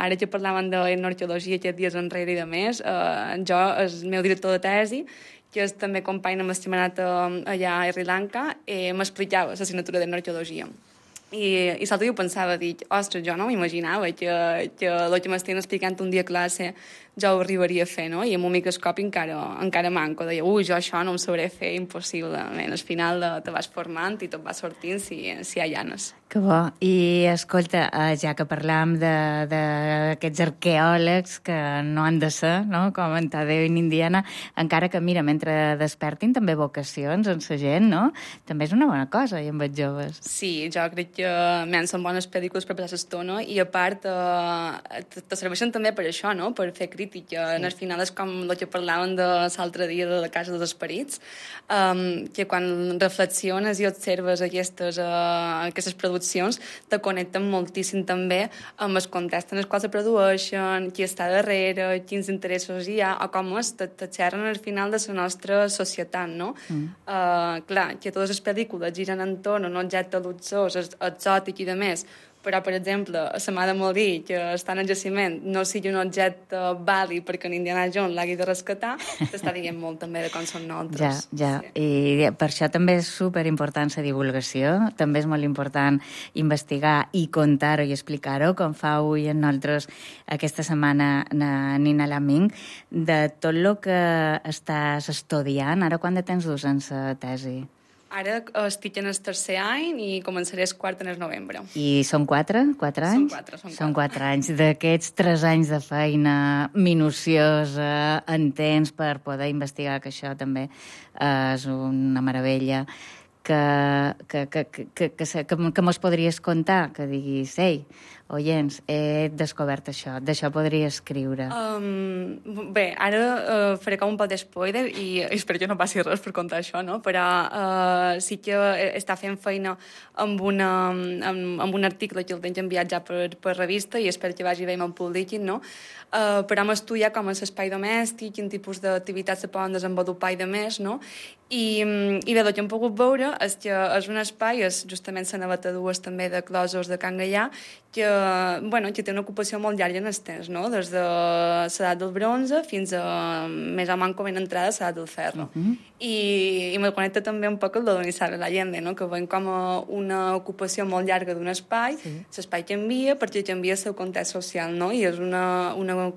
ara que parlaven d'etnoarqueologia aquests dies enrere i de més, eh, jo, el meu director de tesi, que és també company amb l'estimat allà a Sri Lanka, eh, m'explicava l'assignatura d'etnoarqueologia. I, i l'altre dia ho pensava, dic, ostres, jo no m'imaginava que, que el que m'estan explicant un dia a classe jo ho arribaria a fer, no? I amb un microscopi encara, encara manco. Deia, ui, jo això no ho sabré fer, impossible. Al final te vas formant i tot va sortint si, si hi ha llanes. Que bo. I, escolta, ja que parlam d'aquests arqueòlegs que no han de ser, no?, com en Tadeu i Indiana, encara que, mira, mentre despertin també vocacions en la gent, no?, també és una bona cosa, i amb els joves. Sí, jo crec que men, són bones pel·lícules per passar l'estona i, a part, eh, te serveixen també per això, no?, per fer crítica. Sí. Al final és com el que parlàvem de l'altre dia de la Casa dels Esperits, um, que quan reflexiones i observes aquestes, uh, aquestes produccions te connecten moltíssim també amb el context en el qual se produeixen, qui està darrere, quins interessos hi ha, o com es te, te xerren al final de la nostra societat, no? Mm. Uh, clar, que totes les pel·lícules giren entorn a un objecte luxós, exòtic i de més, però, per exemple, a la mà de morir, que està en el jaciment, no sigui un objecte vàlid perquè en Indiana Jones l'hagi de rescatar, t'està dient molt també de com són nosaltres. Ja, ja. Sí. I per això també és superimportant la divulgació, també és molt important investigar i contar-ho i explicar-ho, com fa avui en nosaltres aquesta setmana Nina Laming, de tot el que estàs estudiant. Ara quant de temps dus en la tesi? Ara estic en el tercer any i començaré el quart en el novembre. I són quatre? Quatre anys? Són quatre, són quatre. Són quatre anys. D'aquests tres anys de feina minuciosa, intens, per poder investigar, que això també és una meravella, que, que, que, que, que, que, que, que mos podries contar, que diguis, ei, oients, he descobert això, d'això podria escriure. Um, bé, ara uh, faré com un pot d'espoiler i espero que no passi res per contar això, no? Però uh, sí que està fent feina amb, una, amb, amb un article que el tens enviat ja per, per revista i espero que vagi bé amb el públic, no? Uh, però hem estudiat com és l'espai domèstic, quin tipus d'activitats se poden desenvolupar i de més, no? I, i bé, el que hem pogut veure és que és un espai, és justament la naveta dues també de Closos de Can Gaià, que, bueno, que té una ocupació molt llarga en el temps, no? Des de l'edat del bronze fins a més o menys com en entrada a l'edat del ferro. Uh -huh. I, i me connecta també un poc el de Donizar l'Allende, no? Que veiem com una ocupació molt llarga d'un espai, l'espai sí. canvia perquè canvia el seu context social, no? I és una, una,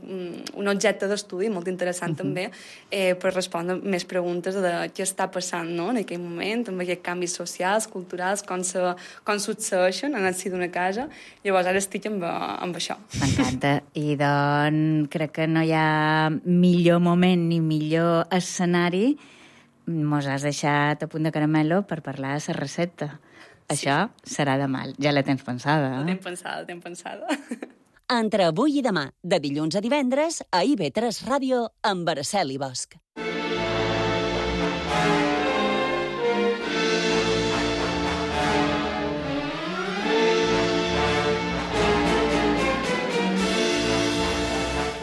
un objecte d'estudi molt interessant uh -huh. també eh, per respondre més preguntes de què està passant, no? En aquell moment, amb aquests canvis socials, culturals, com, se, com succeeixen en el si d'una casa. Llavors ara estic amb, amb això. M'encanta. I doncs crec que no hi ha millor moment ni millor escenari. Mos has deixat a punt de caramelo per parlar de la recepta. Sí. Això serà demà. Ja la tens pensada, eh? La tenc pensada, la tenc pensada. Entre avui i demà, de dilluns a divendres, a I V tres Ràdio, amb Araceli Bosch.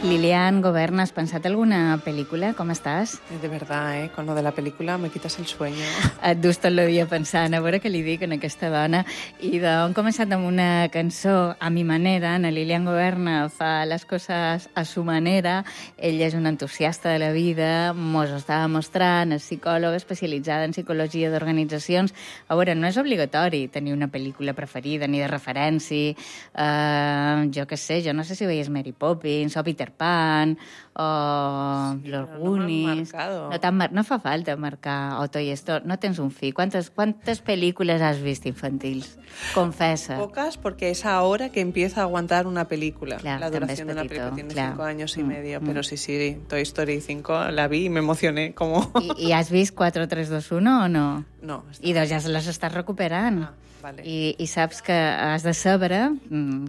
Lilian Goberna, ¿has pensat alguna pel·lícula? Com estàs? De verdad, ¿eh? Con lo de la película me quitas el sueño. Et dus tot el dia pensant, a veure què li dic a aquesta dona. I d'on començat amb una cançó a mi manera. Na Lilian Goberna fa les coses a su manera. Ella és una entusiasta de la vida, mos estava mostrant, és psicòloga especialitzada en psicologia d'organitzacions. A veure, no és obligatori tenir una pel·lícula preferida ni de referència. Uh, jo què sé, jo no sé si veies Mary Poppins o Peter Pan o sí, Los Goonies. No, no, mar... no fa falta marcar o Toy Story. No tens un fill. ¿Cuántas, ¿Cuántas películas has visto infantils? Confesa. Pocas, porque es ahora que empieza a aguantar una película. Claro, la duración de una película tiene claro. cinco años y mm, medio, mm. pero sí, sí, Toy Story cinco la vi y me emocioné. Como... ¿Y, ¿Y has visto cuatro, tres, dos, uno o no? No. I doncs ja se les estàs recuperant. Ah, vale. I, I saps que has de saber,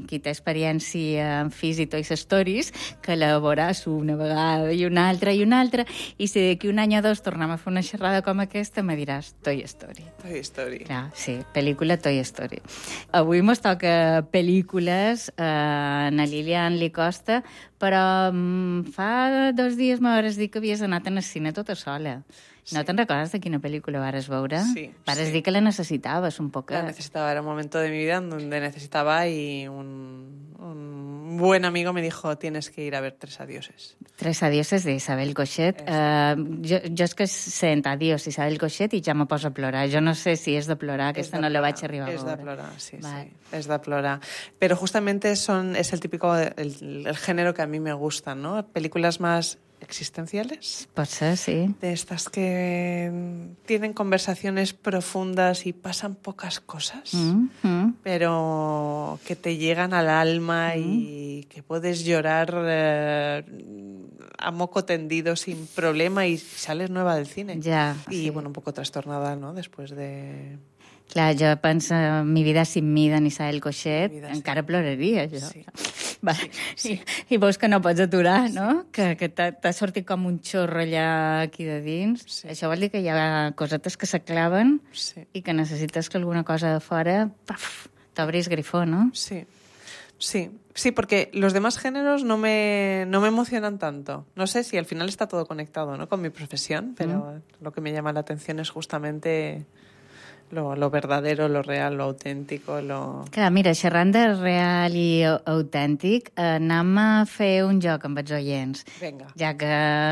qui té experiència en Fizz i Toy Stories, que la veuràs una vegada i una altra i una altra, i si d'aquí un any o dos tornem a fer una xerrada com aquesta, me diràs Toy Story. Toy Story. Clar, sí, pel·lícula Toy Story. Avui mos toca pel·lícules, eh, a Lilian li costa, però mm, fa dos dies m'hauràs dit que havies anat al cine tota sola. Sí. ¿No te'n recordes de quina pel·lícula vares veure? Sí. Vares sí. dir que la necessitabas un poco. La necesitaba, era un momento de mi vida en donde necesitaba y un, un buen amigo me dijo, tienes que ir a ver Tres adioses. Tres adioses d'Isabel Coixet. Uh, jo, jo és que sent adiós Isabel Coixet i ja me poso a plorar. Jo no sé si és de plorar, aquesta de no plorar, la vaig arribar a veure. veure. És de plorar, sí, vale. sí. Es de plorar. Pero justamente son, es el típico, el, el género que a mí me gusta, ¿no? Películas más existenciales. Pot ser, sí. De estas que tienen conversaciones profundas y pasan pocas cosas, mm-hmm. pero que te llegan al alma mm. y que puedes llorar eh, a moco tendido sin problema y sales nueva del cine. Ja, y sí. bueno, un poco trastornada, ¿no? Después de... Clar, jo penso en Mi vida sin mi d'en Isabel Coixet, encara ploraria, jo. Sí. Va, sí, sí. I, I veus que no pots aturar, sí. no? Que, que t'ha sortit com un xorro allà aquí de dins. Sí. Això vol dir que hi ha cosetes que s'aclaven sí. i que necessites que alguna cosa de fora t'obris grifó, ¿no? Sí. Sí, sí, porque los demás géneros no me, no me emocionan tanto. No sé si al final está todo conectado, ¿no? Con mi profesión, pero mm. lo que me llama la atención es justamente... Lo, lo verdadero, lo real, lo auténtico, lo... Clar, mira, xerrant de real i autèntic, anem a fer un joc amb els oients. Vinga. Ja que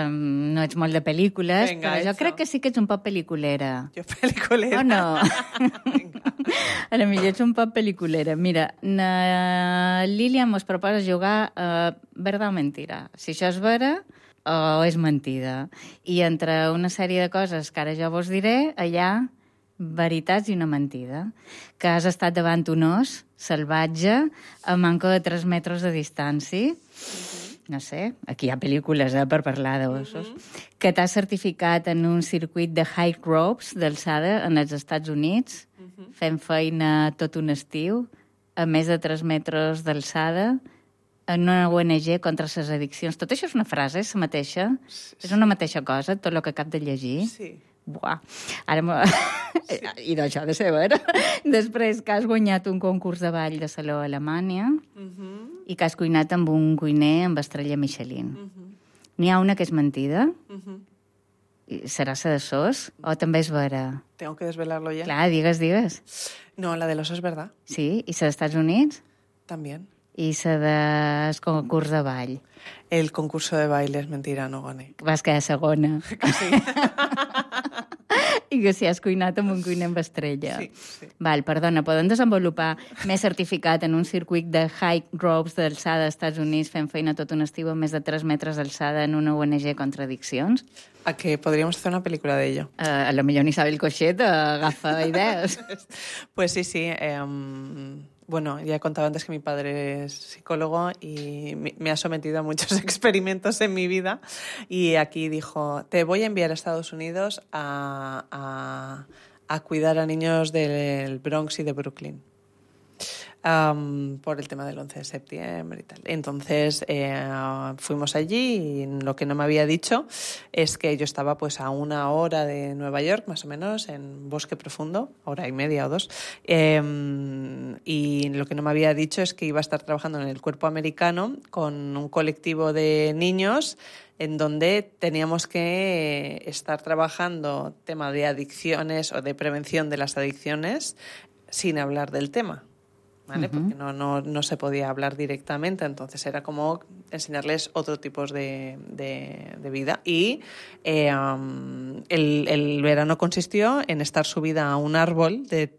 no ets molt de pel·lícules, Venga, però jo eso. crec que sí que ets un poc pel·liculera. Jo pel·liculera? O no? A la millor ets un poc pel·liculera. Mira, na Lilian mos proposa jugar a verdad o mentira. Si això és vera o és mentida. I entre una sèrie de coses que ara jo vos diré, allà... veritats i una mentida. Que has estat davant un os salvatge a manco de tres metres de distància. Uh-huh. No sé, aquí hi ha pel·lícules eh, per parlar d'ossos. Uh-huh. Que t'has certificat en un circuit de high ropes d'alçada en els Estats Units, uh-huh. fent feina tot un estiu, a més de tres metres d'alçada, en una O N G contra les addiccions. Tot això és una frase, és la mateixa? Sí, sí. És una mateixa cosa, tot el que acab de llegir? Sí. Buah, ara... Sí. I d'això de ser vera. Després que has guanyat un concurs de ball de saló a Alemanya uh-huh. i que has cuinat amb un cuiner amb estrella Michelin. Uh-huh. N'hi ha una que és mentida? Uh-huh. Serà la de sos? O també és vera? Tengo que desvelarlo ya. Clar, digues, digues. No, la del oso es verdad. Sí? I la dels Estats Units? También. I la del concurs de ball? El concurso de baile es mentira, no gané. Vas quedar segona. Que sí. I que si has cuinat amb un cuiner amb estrella. Sí, sí. Val, perdona, poden desenvolupar més certificat en un circuit de high ropes d'alçada als Estats Units fent feina tot un estiu a més de tres metres d'alçada en una O N G contra addiccions? A que podríamos hacer una película de ello. Uh, a lo millor Isabel Coixet agafa idees. Pues sí, sí. Eh, um... Bueno, ya he contado antes que mi padre es psicólogo y me ha sometido a muchos experimentos en mi vida y aquí dijo, te voy a enviar a Estados Unidos a, a, a cuidar a niños del Bronx y de Brooklyn. um, por el tema del once de septiembre y tal. Entonces eh, fuimos allí y lo que no me había dicho es que yo estaba pues a una hora de Nueva York, más o menos, en Bosque Profundo, hora y media o dos, eh, y lo que no me había dicho es que iba a estar trabajando en el Cuerpo Americano con un colectivo de niños en donde teníamos que estar trabajando tema de adicciones o de prevención de las adicciones sin hablar del tema, ¿vale? Uh-huh. Porque no, no, no se podía hablar directamente, entonces era como enseñarles otro tipo de, de, de vida. Y eh, um, el, el verano consistió en estar subida a un árbol de...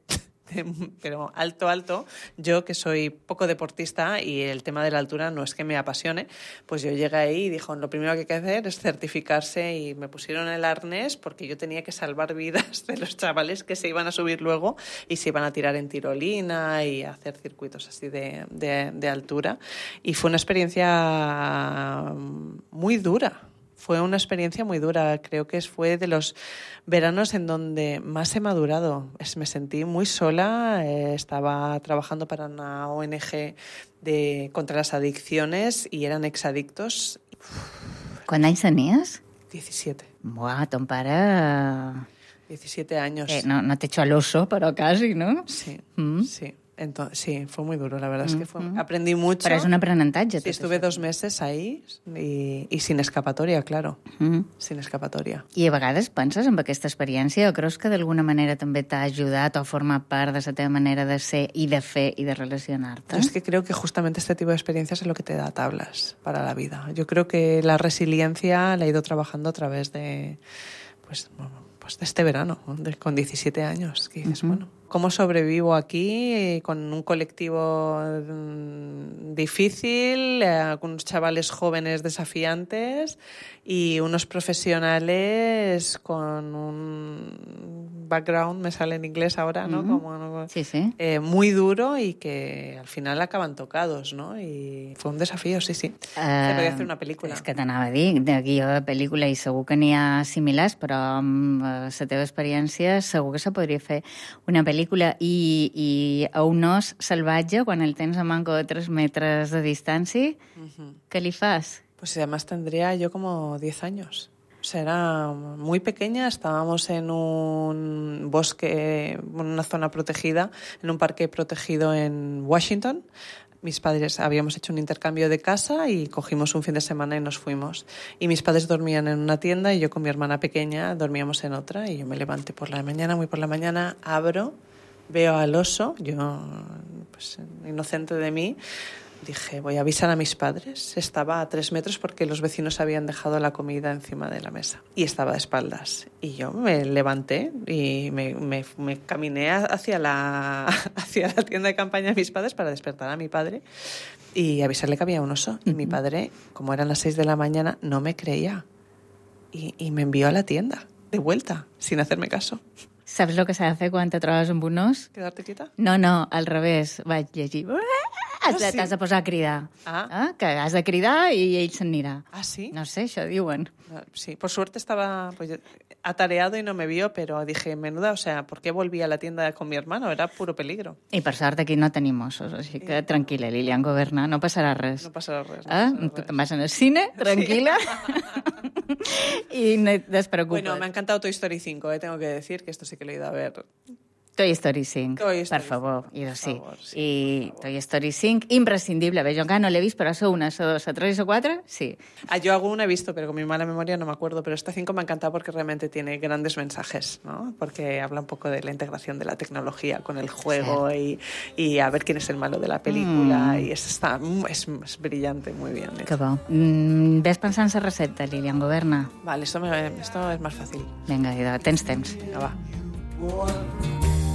pero alto, alto. Yo, que soy poco deportista y el tema de la altura no es que me apasione, pues yo llegué ahí y dijo, lo primero que hay que hacer es certificarse, y me pusieron el arnés porque yo tenía que salvar vidas de los chavales que se iban a subir luego y se iban a tirar en tirolina y a hacer circuitos así de, de, de altura. Y fue una experiencia muy dura. Fue una experiencia muy dura. Creo que fue de los veranos en donde más he madurado. Me sentí muy sola. Eh, estaba trabajando para una O N G de, contra las adicciones y eran exadictos. ¿Quants anys tenies? diecisiete. Buah, ton pare... diecisiete años. Eh, no, no te echó al oso, pero casi, ¿no? Sí, mm. sí. Entonces, sí, fue muy duro, la verdad es que fue, mm-hmm. aprendí mucho. Però és un aprenentatge. Sí, estuve això. dos meses ahí y, y sin escapatoria, claro, mm. sin escapatoria. I a vegades penses en aquesta experiència o creus que d'alguna manera també t'ha ajudat o forma part de la teva manera de ser i de fer i de relacionar-te? Yo es que creo que justamente este tipo de experiencias es lo que te da tablas para la vida. Yo creo que la resiliencia la he ido trabajando a través de, pues, pues de este verano, de, con diecisiete años, que dices, uh-huh. bueno, ¿cómo sobrevivo aquí con un colectivo difícil, eh, con unos chavales jóvenes desafiantes y unos profesionales con un background, me sale en inglés ahora, ¿no? Uh-huh. Como, sí, sí. Eh, muy duro y que al final acaban tocados, ¿no? Y fue un desafío, sí, sí. Uh, Se podía hacer una pel·lícula. És que t'anava a dir, de guió de pel·lícula, i segur que n'hi ha similars, però amb la teva experiència segur que se podria fer una pel·lícula. I, i a un os salvatge, quan el tens a manco de tres metres de distància, uh-huh. ¿qué li fas? Pues además tendría yo como diez años. O sea, era muy pequeña, estábamos en un bosque, en una zona protegida, en un parque protegido en Washington. Mis padres habíamos hecho un intercambio de casa y cogimos un fin de semana y nos fuimos. Y mis padres dormían en una tienda y yo con mi hermana pequeña dormíamos en otra. Y yo me levanté por la mañana, muy por la mañana, abro, veo al oso, yo, pues inocente de mí, dije, voy a avisar a mis padres. Estaba a tres metros porque los vecinos habían dejado la comida encima de la mesa. Y estaba de espaldas. Y yo me levanté y me, me, me caminé hacia la, hacia la tienda de campaña de mis padres para despertar a mi padre y avisarle que había un oso. Y uh-huh. mi padre, como eran las seis de la mañana, no me creía. Y, y me envió a la tienda, de vuelta, sin hacerme caso. Saps el que s'ha de fer quan te trobes amb un os? Quedar-te quieta? No, no, al revés. Vaig llegir. Has de, ah, sí? T'has de posar a cridar. Ah. Ah, que has de cridar i ell se'n anirà. Ah, sí? No sé, això diuen. Sí, por suerte estaba pues, atareado y no me vio, pero dije, menuda, o sea, ¿por qué volví a la tienda con mi hermano? Era puro peligro. I per sort aquí no tenim ossos, així que tranquil·la, Lilian Goberna, no passarà res. No passarà res. No ah? passarà tu res. te'n vas al cine, tranquil·la. Y no te despreocupes. Bueno, me ha encantado Toy Story cinco, eh, tengo que decir que esto sí que lo he ido a ver. Toy Story cinc, Toy Story per favor. cinc, I per sí. favor, sí, I Toy Story cinc, imprescindible. Bé, jo encara no l'he vist, però això una, això dos, això tres o quatre, sí. Ah, yo alguna he visto, pero con mi mala memoria no me acuerdo. Pero esta cinco me ha encantado porque realmente tiene grandes mensajes, ¿no? Porque habla un poco de la integración de la tecnología con el juego y, y a ver quién es el malo de la película. Mm. Y es, está, es, es brillante, muy bien. Que bo. Mm, ves pensant en la recepta, Lilian Goberna? Vale, esto, me, esto es más fácil. Vinga, idò, tens temps. Vinga, va.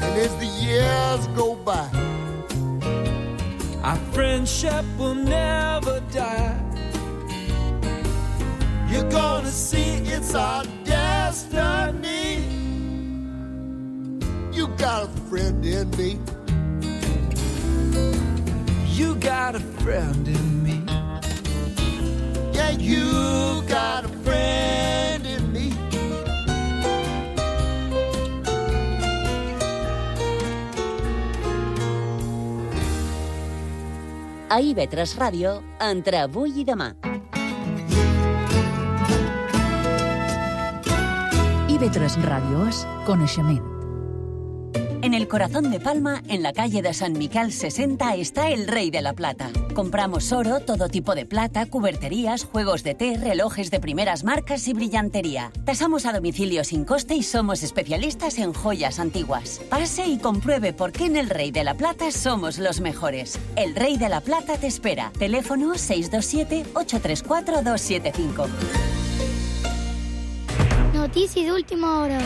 And as the years go by, our friendship will never die. You're gonna see it's our destiny. You got a friend in me. You got a friend in me. Yeah, you got a friend in me. A I V tres Ràdio, entre avui i demà. I V tres Ràdio és coneixement. En el corazón de Palma, en la calle de San Miquel sesenta, está el Rey de la Plata. Compramos oro, todo tipo de plata, cuberterías, juegos de té, relojes de primeras marcas y brillantería. Tasamos a domicilio sin coste y somos especialistas en joyas antiguas. Pase y compruebe por qué en el Rey de la Plata somos los mejores. El Rey de la Plata te espera. Teléfono seis dos siete, ocho tres cuatro, dos siete cinco. Notícia d'última hora.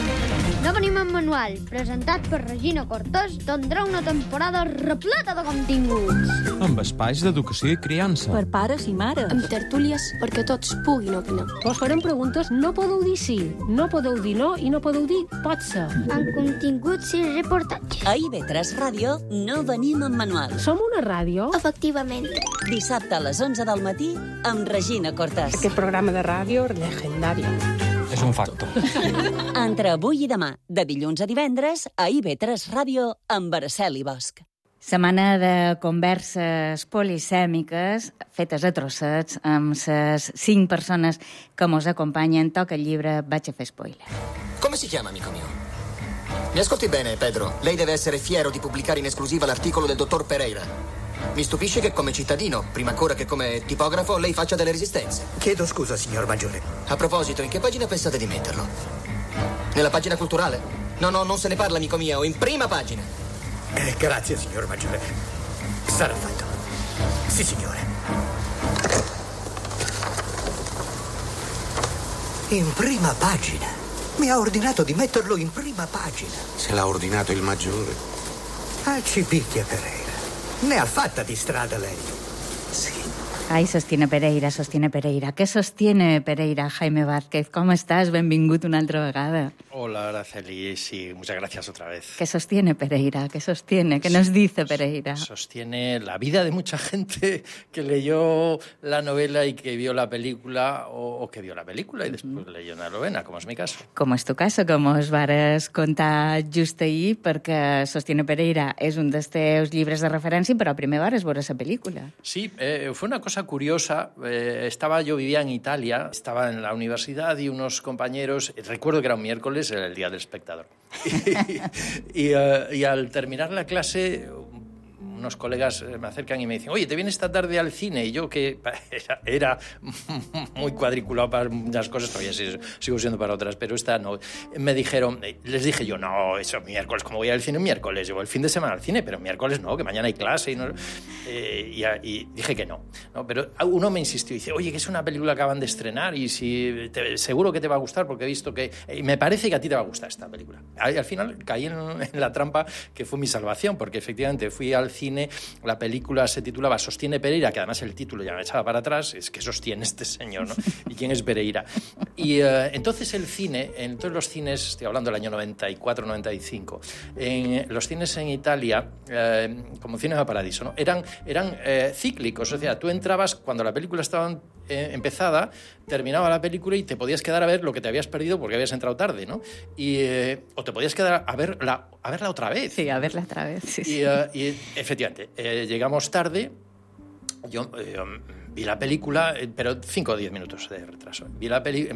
No venim en manual, presentat per Regina Cortés, tindrà una temporada repleta de continguts. Amb espais d'educació i criança. Per pares i mares. Amb tertúlies perquè tots puguin opinar. Us farem preguntes, no podeu dir sí, no podeu dir no i no podeu dir pot ser. Amb continguts i reportatges. A I V tres Ràdio no venim en manual. Som una ràdio? Efectivament. Dissabte a les onze del matí amb Regina Cortés. Aquest programa de ràdio legendari. És un facto. Entre avui i demà, de dilluns a divendres, a I V tres Ràdio amb Araceli Bosch. Setmana de converses polisèmiques fetes a trossets amb les cinc persones que mos acompanyen. Toca il llibre, vaig a fer spoiler. Come si chiama, amico mio? Mi ascolti bene, Pedro. Lei deve essere fiero di pubblicare in esclusiva l'articolo del dottor Pereira. Mi stupisce che come cittadino, prima ancora che come tipografo, lei faccia delle resistenze. Chiedo scusa, signor Maggiore. A proposito, in che pagina pensate di metterlo? Nella pagina culturale? No, no, non se ne parla, amico mio, in prima pagina. Eh, grazie, signor Maggiore. Sarà fatto. Sì, signore. In prima pagina. Mi ha ordinato di metterlo in prima pagina. Se l'ha ordinato il Maggiore. Ah, ci picchia Pereira. Ne ha fatta di strada lei. Sí. Ai, sostiene Pereira, sostiene Pereira. Què sostiene Pereira, Jaime Vázquez? Com estàs? Benvingut una altra vegada. Hola, Araceli. Sí, muchas gracias otra vez. ¿Qué sostiene Pereira? ¿Qué sostiene? ¿Qué nos dice Pereira? Sostiene la vida de mucha gente que leyó la novela y que vio la película, o, o que vio la película y después mm. leyó la novela, como es mi caso. Com és tu caso, com us vares contar just ahir, perquè Sostiene Pereira és un dels teus llibres de referència, però primer vares veure la pel·lícula. Sí, eh, fue una cosa curiosa. Eh, estaba, yo vivía en Italia, estaba en la universidad y unos compañeros, recuerdo que era un miércoles, era el día del espectador. y, y, uh, y al terminar la clase, unos colegas me acercan y me dicen, oye, ¿te vienes esta tarde al cine? Y yo, que era, era muy cuadriculado para unas cosas, todavía sigo siendo para otras, pero esta no. Me dijeron, les dije yo, no, eso miércoles, ¿cómo voy al cine un miércoles? Yo voy el fin de semana al cine, pero miércoles no, que mañana hay clase. Y, no, eh, y, y dije que no, no. Pero uno me insistió y dice, oye, que es una película que acaban de estrenar y si te, seguro que te va a gustar porque he visto que... Y me parece que a ti te va a gustar esta película. Y al final caí en, en la trampa que fue mi salvación, porque efectivamente fui al cine. La película se titulaba Sostiene Pereira, que además el título ya me echaba para atrás, es que sostiene este señor, ¿no? ¿Y quién es Pereira? Y uh, entonces el cine, en todos los cines, estoy hablando del año noventa y cuatro noventa y cinco, en los cines en Italia, uh, como Cinema Paradiso, ¿no? eran, eran uh, cíclicos, o sea, tú entrabas cuando la película estaba eh, empezada, terminaba la película y te podías quedar a ver lo que te habías perdido porque habías entrado tarde, ¿no? Y, eh, o te podías quedar a verla, a verla otra vez. Sí, a verla otra vez, sí, y, sí. Uh, y efectivamente, eh, llegamos tarde, yo eh, vi la película, eh, pero cinco o diez minutos de retraso. Vi, la peli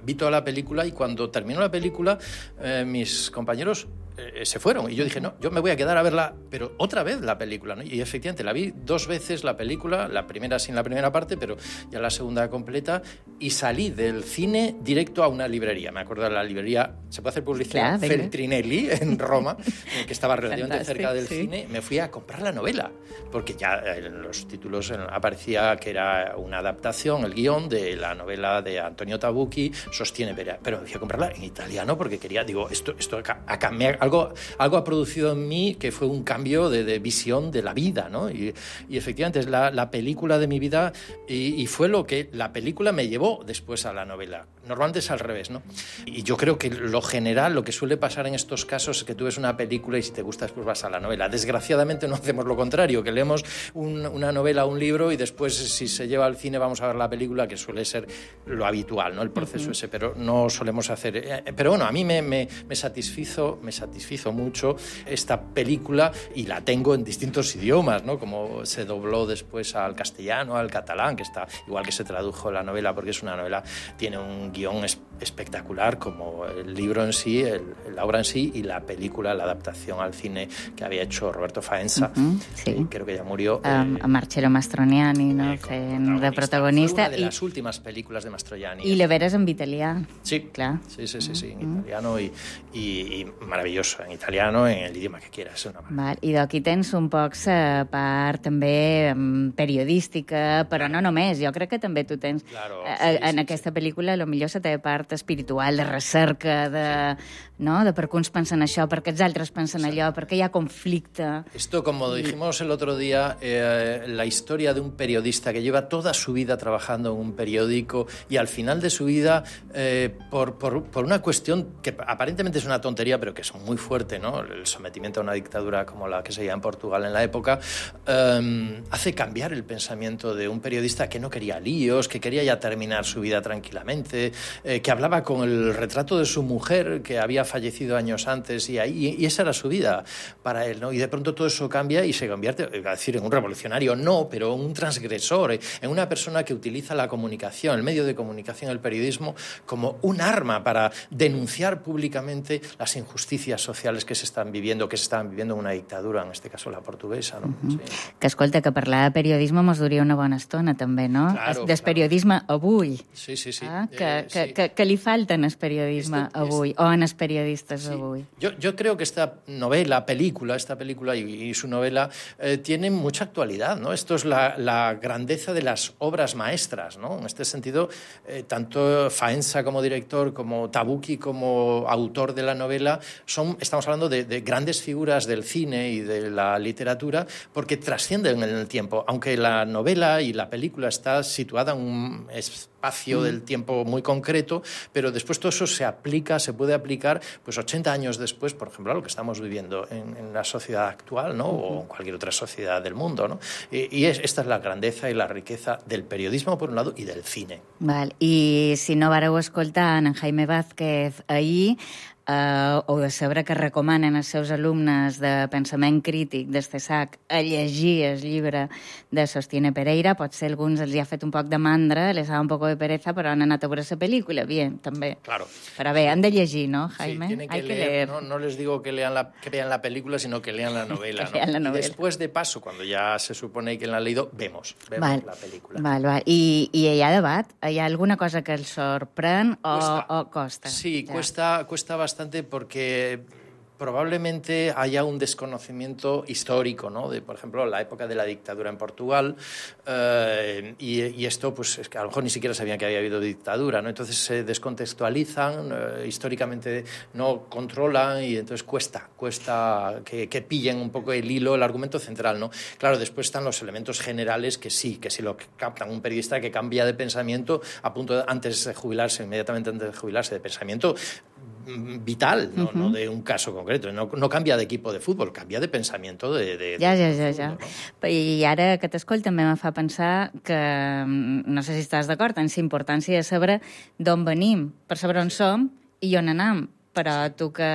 vi toda la película y cuando terminó la película, eh, mis compañeros eh, se fueron. Y yo dije, no, yo me voy a quedar a verla, pero otra vez la película, ¿no? Y efectivamente, la vi dos veces la película, la primera sin la primera parte, pero ya la segunda completa, y salí del cine directo a una librería. Me acuerdo de la librería, ¿se puede hacer publicidad? Claro, Feltrinelli, en Roma, que estaba relativamente Fantastic, cerca del sí. cine. Me fui a comprar la novela, porque ya en los títulos aparecía que era una adaptación, el guión de la novela de Antonio Tabucchi, Sostiene Pereira. Pero me fui a comprarla en italiano porque quería, digo, esto, esto acá, acá me, algo, algo ha producido en mí que fue un cambio de, de visión de la vida, ¿no? Y, y efectivamente es la, la película de mi vida y, y fue lo que la película me llevó después a la novela. Normalmente es al revés, ¿no? Y yo creo que lo general, lo que suele pasar en estos casos es que tú ves una película y si te gusta después vas a la novela. Desgraciadamente no hacemos lo contrario, que leemos un, una novela o un libro y después si se lleva al cine, vamos a ver la película, que suele ser lo habitual, ¿no? El proceso uh-huh. ese, pero no solemos hacer... Eh, pero bueno, a mí me, me, me, satisfizo, me satisfizo mucho esta película y la tengo en distintos idiomas, ¿no? Como se dobló después al castellano, al catalán, que está igual que se tradujo la novela, porque es una novela, tiene un guión es, espectacular, como el libro en sí, el, la obra en sí, y la película, la adaptación al cine que había hecho Roberto Faenza, uh-huh, sí. creo que ya murió. Um, eh, a Marcello Mastroianni, no? Eh, Fent de protagonista. Fue una de las últimas películas de Mastroianni. I la veres en italià. Sí, clar. Sí, sí, sí, sí, en uh-huh. italiano y, y, y maravilloso, en italiano, en el idioma que quieras. Una Val. I d'aquí tens un poc la part també periodística, però no només, jo crec que també tu tens claro, a, sí, en sí, aquesta sí. pel·lícula la millor la teva part espiritual, de recerca, de, no? de per què uns pensen això, per què els altres pensen allò, per què hi ha conflicte. Esto, como dijimos el otro día, eh, la historia de un periodista que lleva toda su vida trabajando en un periódico y al final de su vida, eh, por, por, por una cuestión que aparentemente es una tontería, pero que es muy fuerte, ¿no? El sometimiento a una dictadura como la que se lleva en Portugal en la época, eh, hace cambiar el pensamiento de un periodista que no quería líos, que quería ya terminar su vida tranquilamente, eh, que hablaba con el retrato de su mujer, que había fallecido años antes, y, ahí, y esa era su vida para él, ¿no? Y de pronto todo eso cambia y se convierte, iba a decir, en un revolucionario, no, pero un transgresor, en una persona que utiliza la comunicación, el medio de comunicación, el periodismo, como un arma para denunciar públicamente las injusticias sociales que se están viviendo, que se estaban viviendo en una dictadura, en este caso la portuguesa, ¿no? Uh-huh. Sí. Que escolta, que parlar de periodisme mos duria una bona estona, també, no? Claro, Des claro. periodisme avui. Sí, sí, sí. Ah, que, eh, que, sí. que, que li falten el periodisme Esto, avui, es... o en els periodistes sí. avui. Yo, yo creo que esta novela, película, esta película y, y su novela eh, tienen mucha actualidad, ¿no? Esto es la, la grandeza de las obras maestras, ¿no? En este sentido, eh, tanto Faenza como director, como Tabucchi como autor de la novela, son, estamos hablando de, de grandes figuras del cine y de la literatura, porque trascienden en el tiempo, aunque la novela y la película está situada en un espacio mm. del tiempo muy concreto, pero después todo eso se aplica, se puede aplicar, pues ochenta años después, por ejemplo, a lo que estamos viviendo en, en la sociedad actual, ¿no? O en cualquier otra sociedad del mundo, ¿no? Y, y es, esta es la grandeza y la riqueza del periodismo, por un lado, y del cine. Val. I si no vareu escoltar en Jaime Vázquez ahir, Uh, o de saber que recomanen als seus alumnes de pensament crític del CESAC a llegir el llibre de Sostiene Pereira. Potser alguns els hi ha fet un poc de mandra, les ha un poc de pereza, però han anat a veure la pel·lícula, bien, també. Claro. Però bé, han de llegir, ¿no, Jaime? Sí, tienen que Hay leer, que leer. ¿no? No les digo que lean la, que vean la película, sino que lean la novela, que lean la ¿no? novela. Y después, de paso, cuando ya se supone que la han leído, vemos, vemos val. la película. Val, val. I, I hi ha debat? Hi ha alguna cosa que els sorprèn o Cuesta. o costa? Sí, ja. cuesta, cuesta bastante porque probablemente haya un desconocimiento histórico, ¿no? De, por ejemplo, la época de la dictadura en Portugal, eh, y, y esto, pues, es que a lo mejor ni siquiera sabían que había habido dictadura, ¿no? Entonces se descontextualizan, eh, históricamente no controlan y entonces cuesta, cuesta que, que pillen un poco el hilo, el argumento central, ¿no? Claro, después están los elementos generales que sí, que si lo captan un periodista que cambia de pensamiento a punto de, antes de jubilarse, inmediatamente antes de jubilarse, de pensamiento vital, no, uh-huh. no de un caso concreto. No, no cambia de equipo de fútbol, cambia de pensamiento de... de, ja, de ja, ja, ja. No? I ara que t'escolta també me fa pensar que, no sé si estàs d'acord, en la importància de saber d'on venim, per saber on som i on anem. Però tu que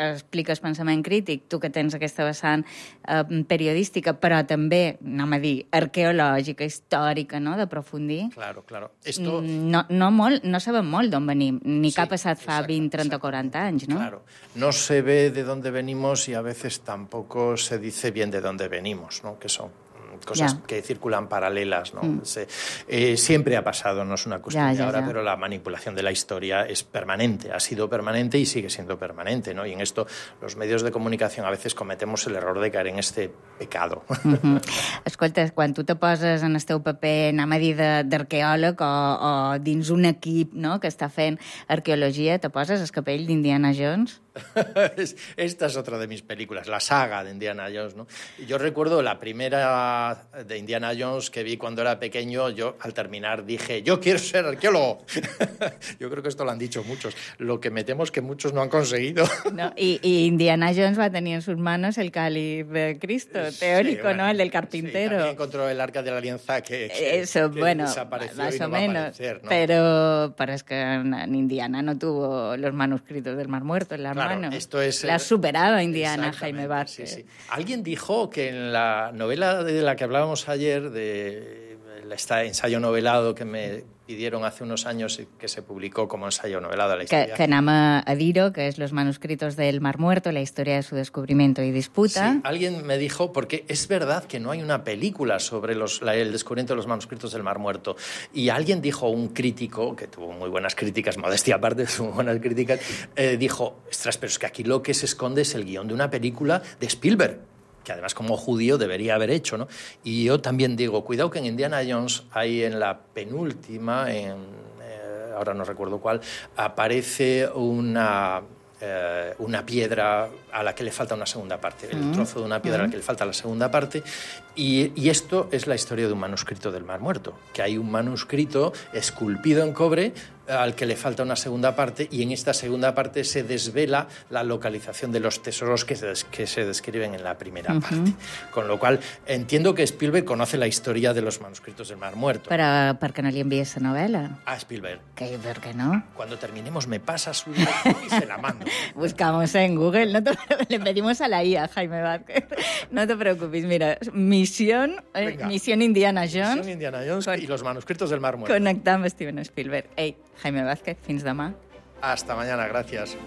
expliques pensament crític, tu que tens aquesta vessant eh, periodística, però també, anem a dir, arqueològica, històrica, no?, d'aprofundir. Claro, claro. Esto... No, no, molt, no sabem molt d'on venim, ni sí, que ha passat fa exacte, vint, trenta o quaranta anys, no? Claro. No se ve de dónde venimos y a veces tampoco se dice bien de dónde venimos, ¿no? Que son cosas ya. que circulan paralelas, ¿no? Mm. Se, eh, siempre ha pasado, no es una cuestión ya, de ya, ahora, ya. pero la manipulación de la historia es permanente, ha sido permanente y sigue siendo permanente, ¿no? Y en esto los medios de comunicación a veces cometemos el error de caer en este pecado. Mm-hmm. Escolta, quan tu te poses en el teu paper, anem a dir, d'arqueòleg o, o dins un equip, no?, que està fent arqueologia, te poses el capell d'Indiana Jones? Esta es otra de mis películas, la saga de Indiana Jones, ¿no? Yo recuerdo la primera película de Indiana Jones que vi cuando era pequeño, yo al terminar dije, yo quiero ser arqueólogo. Yo creo que esto lo han dicho muchos. Lo que me temo es que muchos no han conseguido. No, y, y Indiana Jones va a tener en sus manos el cáliz de Cristo, teórico, sí, bueno, ¿no? El del carpintero. Sí, también encontró el arca de la alianza que, que, Eso, que bueno, desapareció más y no o va menos. a aparecer, ¿no? Pero, pero es que en Indiana no tuvo los manuscritos del Mar Muerto en las claro, manos. Esto es, la ha superado Indiana, Jaime Vázquez. Sí, sí. Alguien dijo que en la novela de la que hablábamos ayer, de este ensayo novelado que me pidieron hace unos años y que se publicó como ensayo novelado a la historia. Que, que nama a Diro, que es Los manuscritos del Mar Muerto, la historia de su descubrimiento y disputa. Sí, alguien me dijo, porque es verdad que no hay una película sobre los, la, el descubrimiento de los manuscritos del Mar Muerto. Y alguien dijo, un crítico, que tuvo muy buenas críticas, modestia aparte, tuvo buenas críticas, eh, dijo, ostras, pero es que aquí lo que se esconde es el guión de una película de Spielberg, que además como judío debería haber hecho, ¿no? Y yo también digo, cuidado que en Indiana Jones hay en la penúltima, en, eh, ahora no recuerdo cuál, aparece una, eh, una piedra a la que le falta una segunda parte, el Mm. trozo de una piedra Mm. a la que le falta la segunda parte, y, y esto es la historia de un manuscrito del Mar Muerto, que hay un manuscrito esculpido en cobre al que le falta una segunda parte, y en esta segunda parte se desvela la localización de los tesoros que se, que se describen en la primera Uh-huh. parte. Con lo cual, entiendo que Spielberg conoce la historia de los manuscritos del Mar Muerto. Però per què no li envies la novel·la? A Spielberg. Que, ¿por qué no? Cuando terminemos me pasa su dirección y se la mando. Buscamos en Google, no te, le pedimos a la I A, Jaime Vázquez. No te preocupes, mira, misión, eh, misión Indiana Jones. Misión Indiana Jones con, y los manuscritos del Mar Muerto. Connectar amb Steven Spielberg. Ei, Jaime Vázquez, fins demà. Hasta mañana, gracias.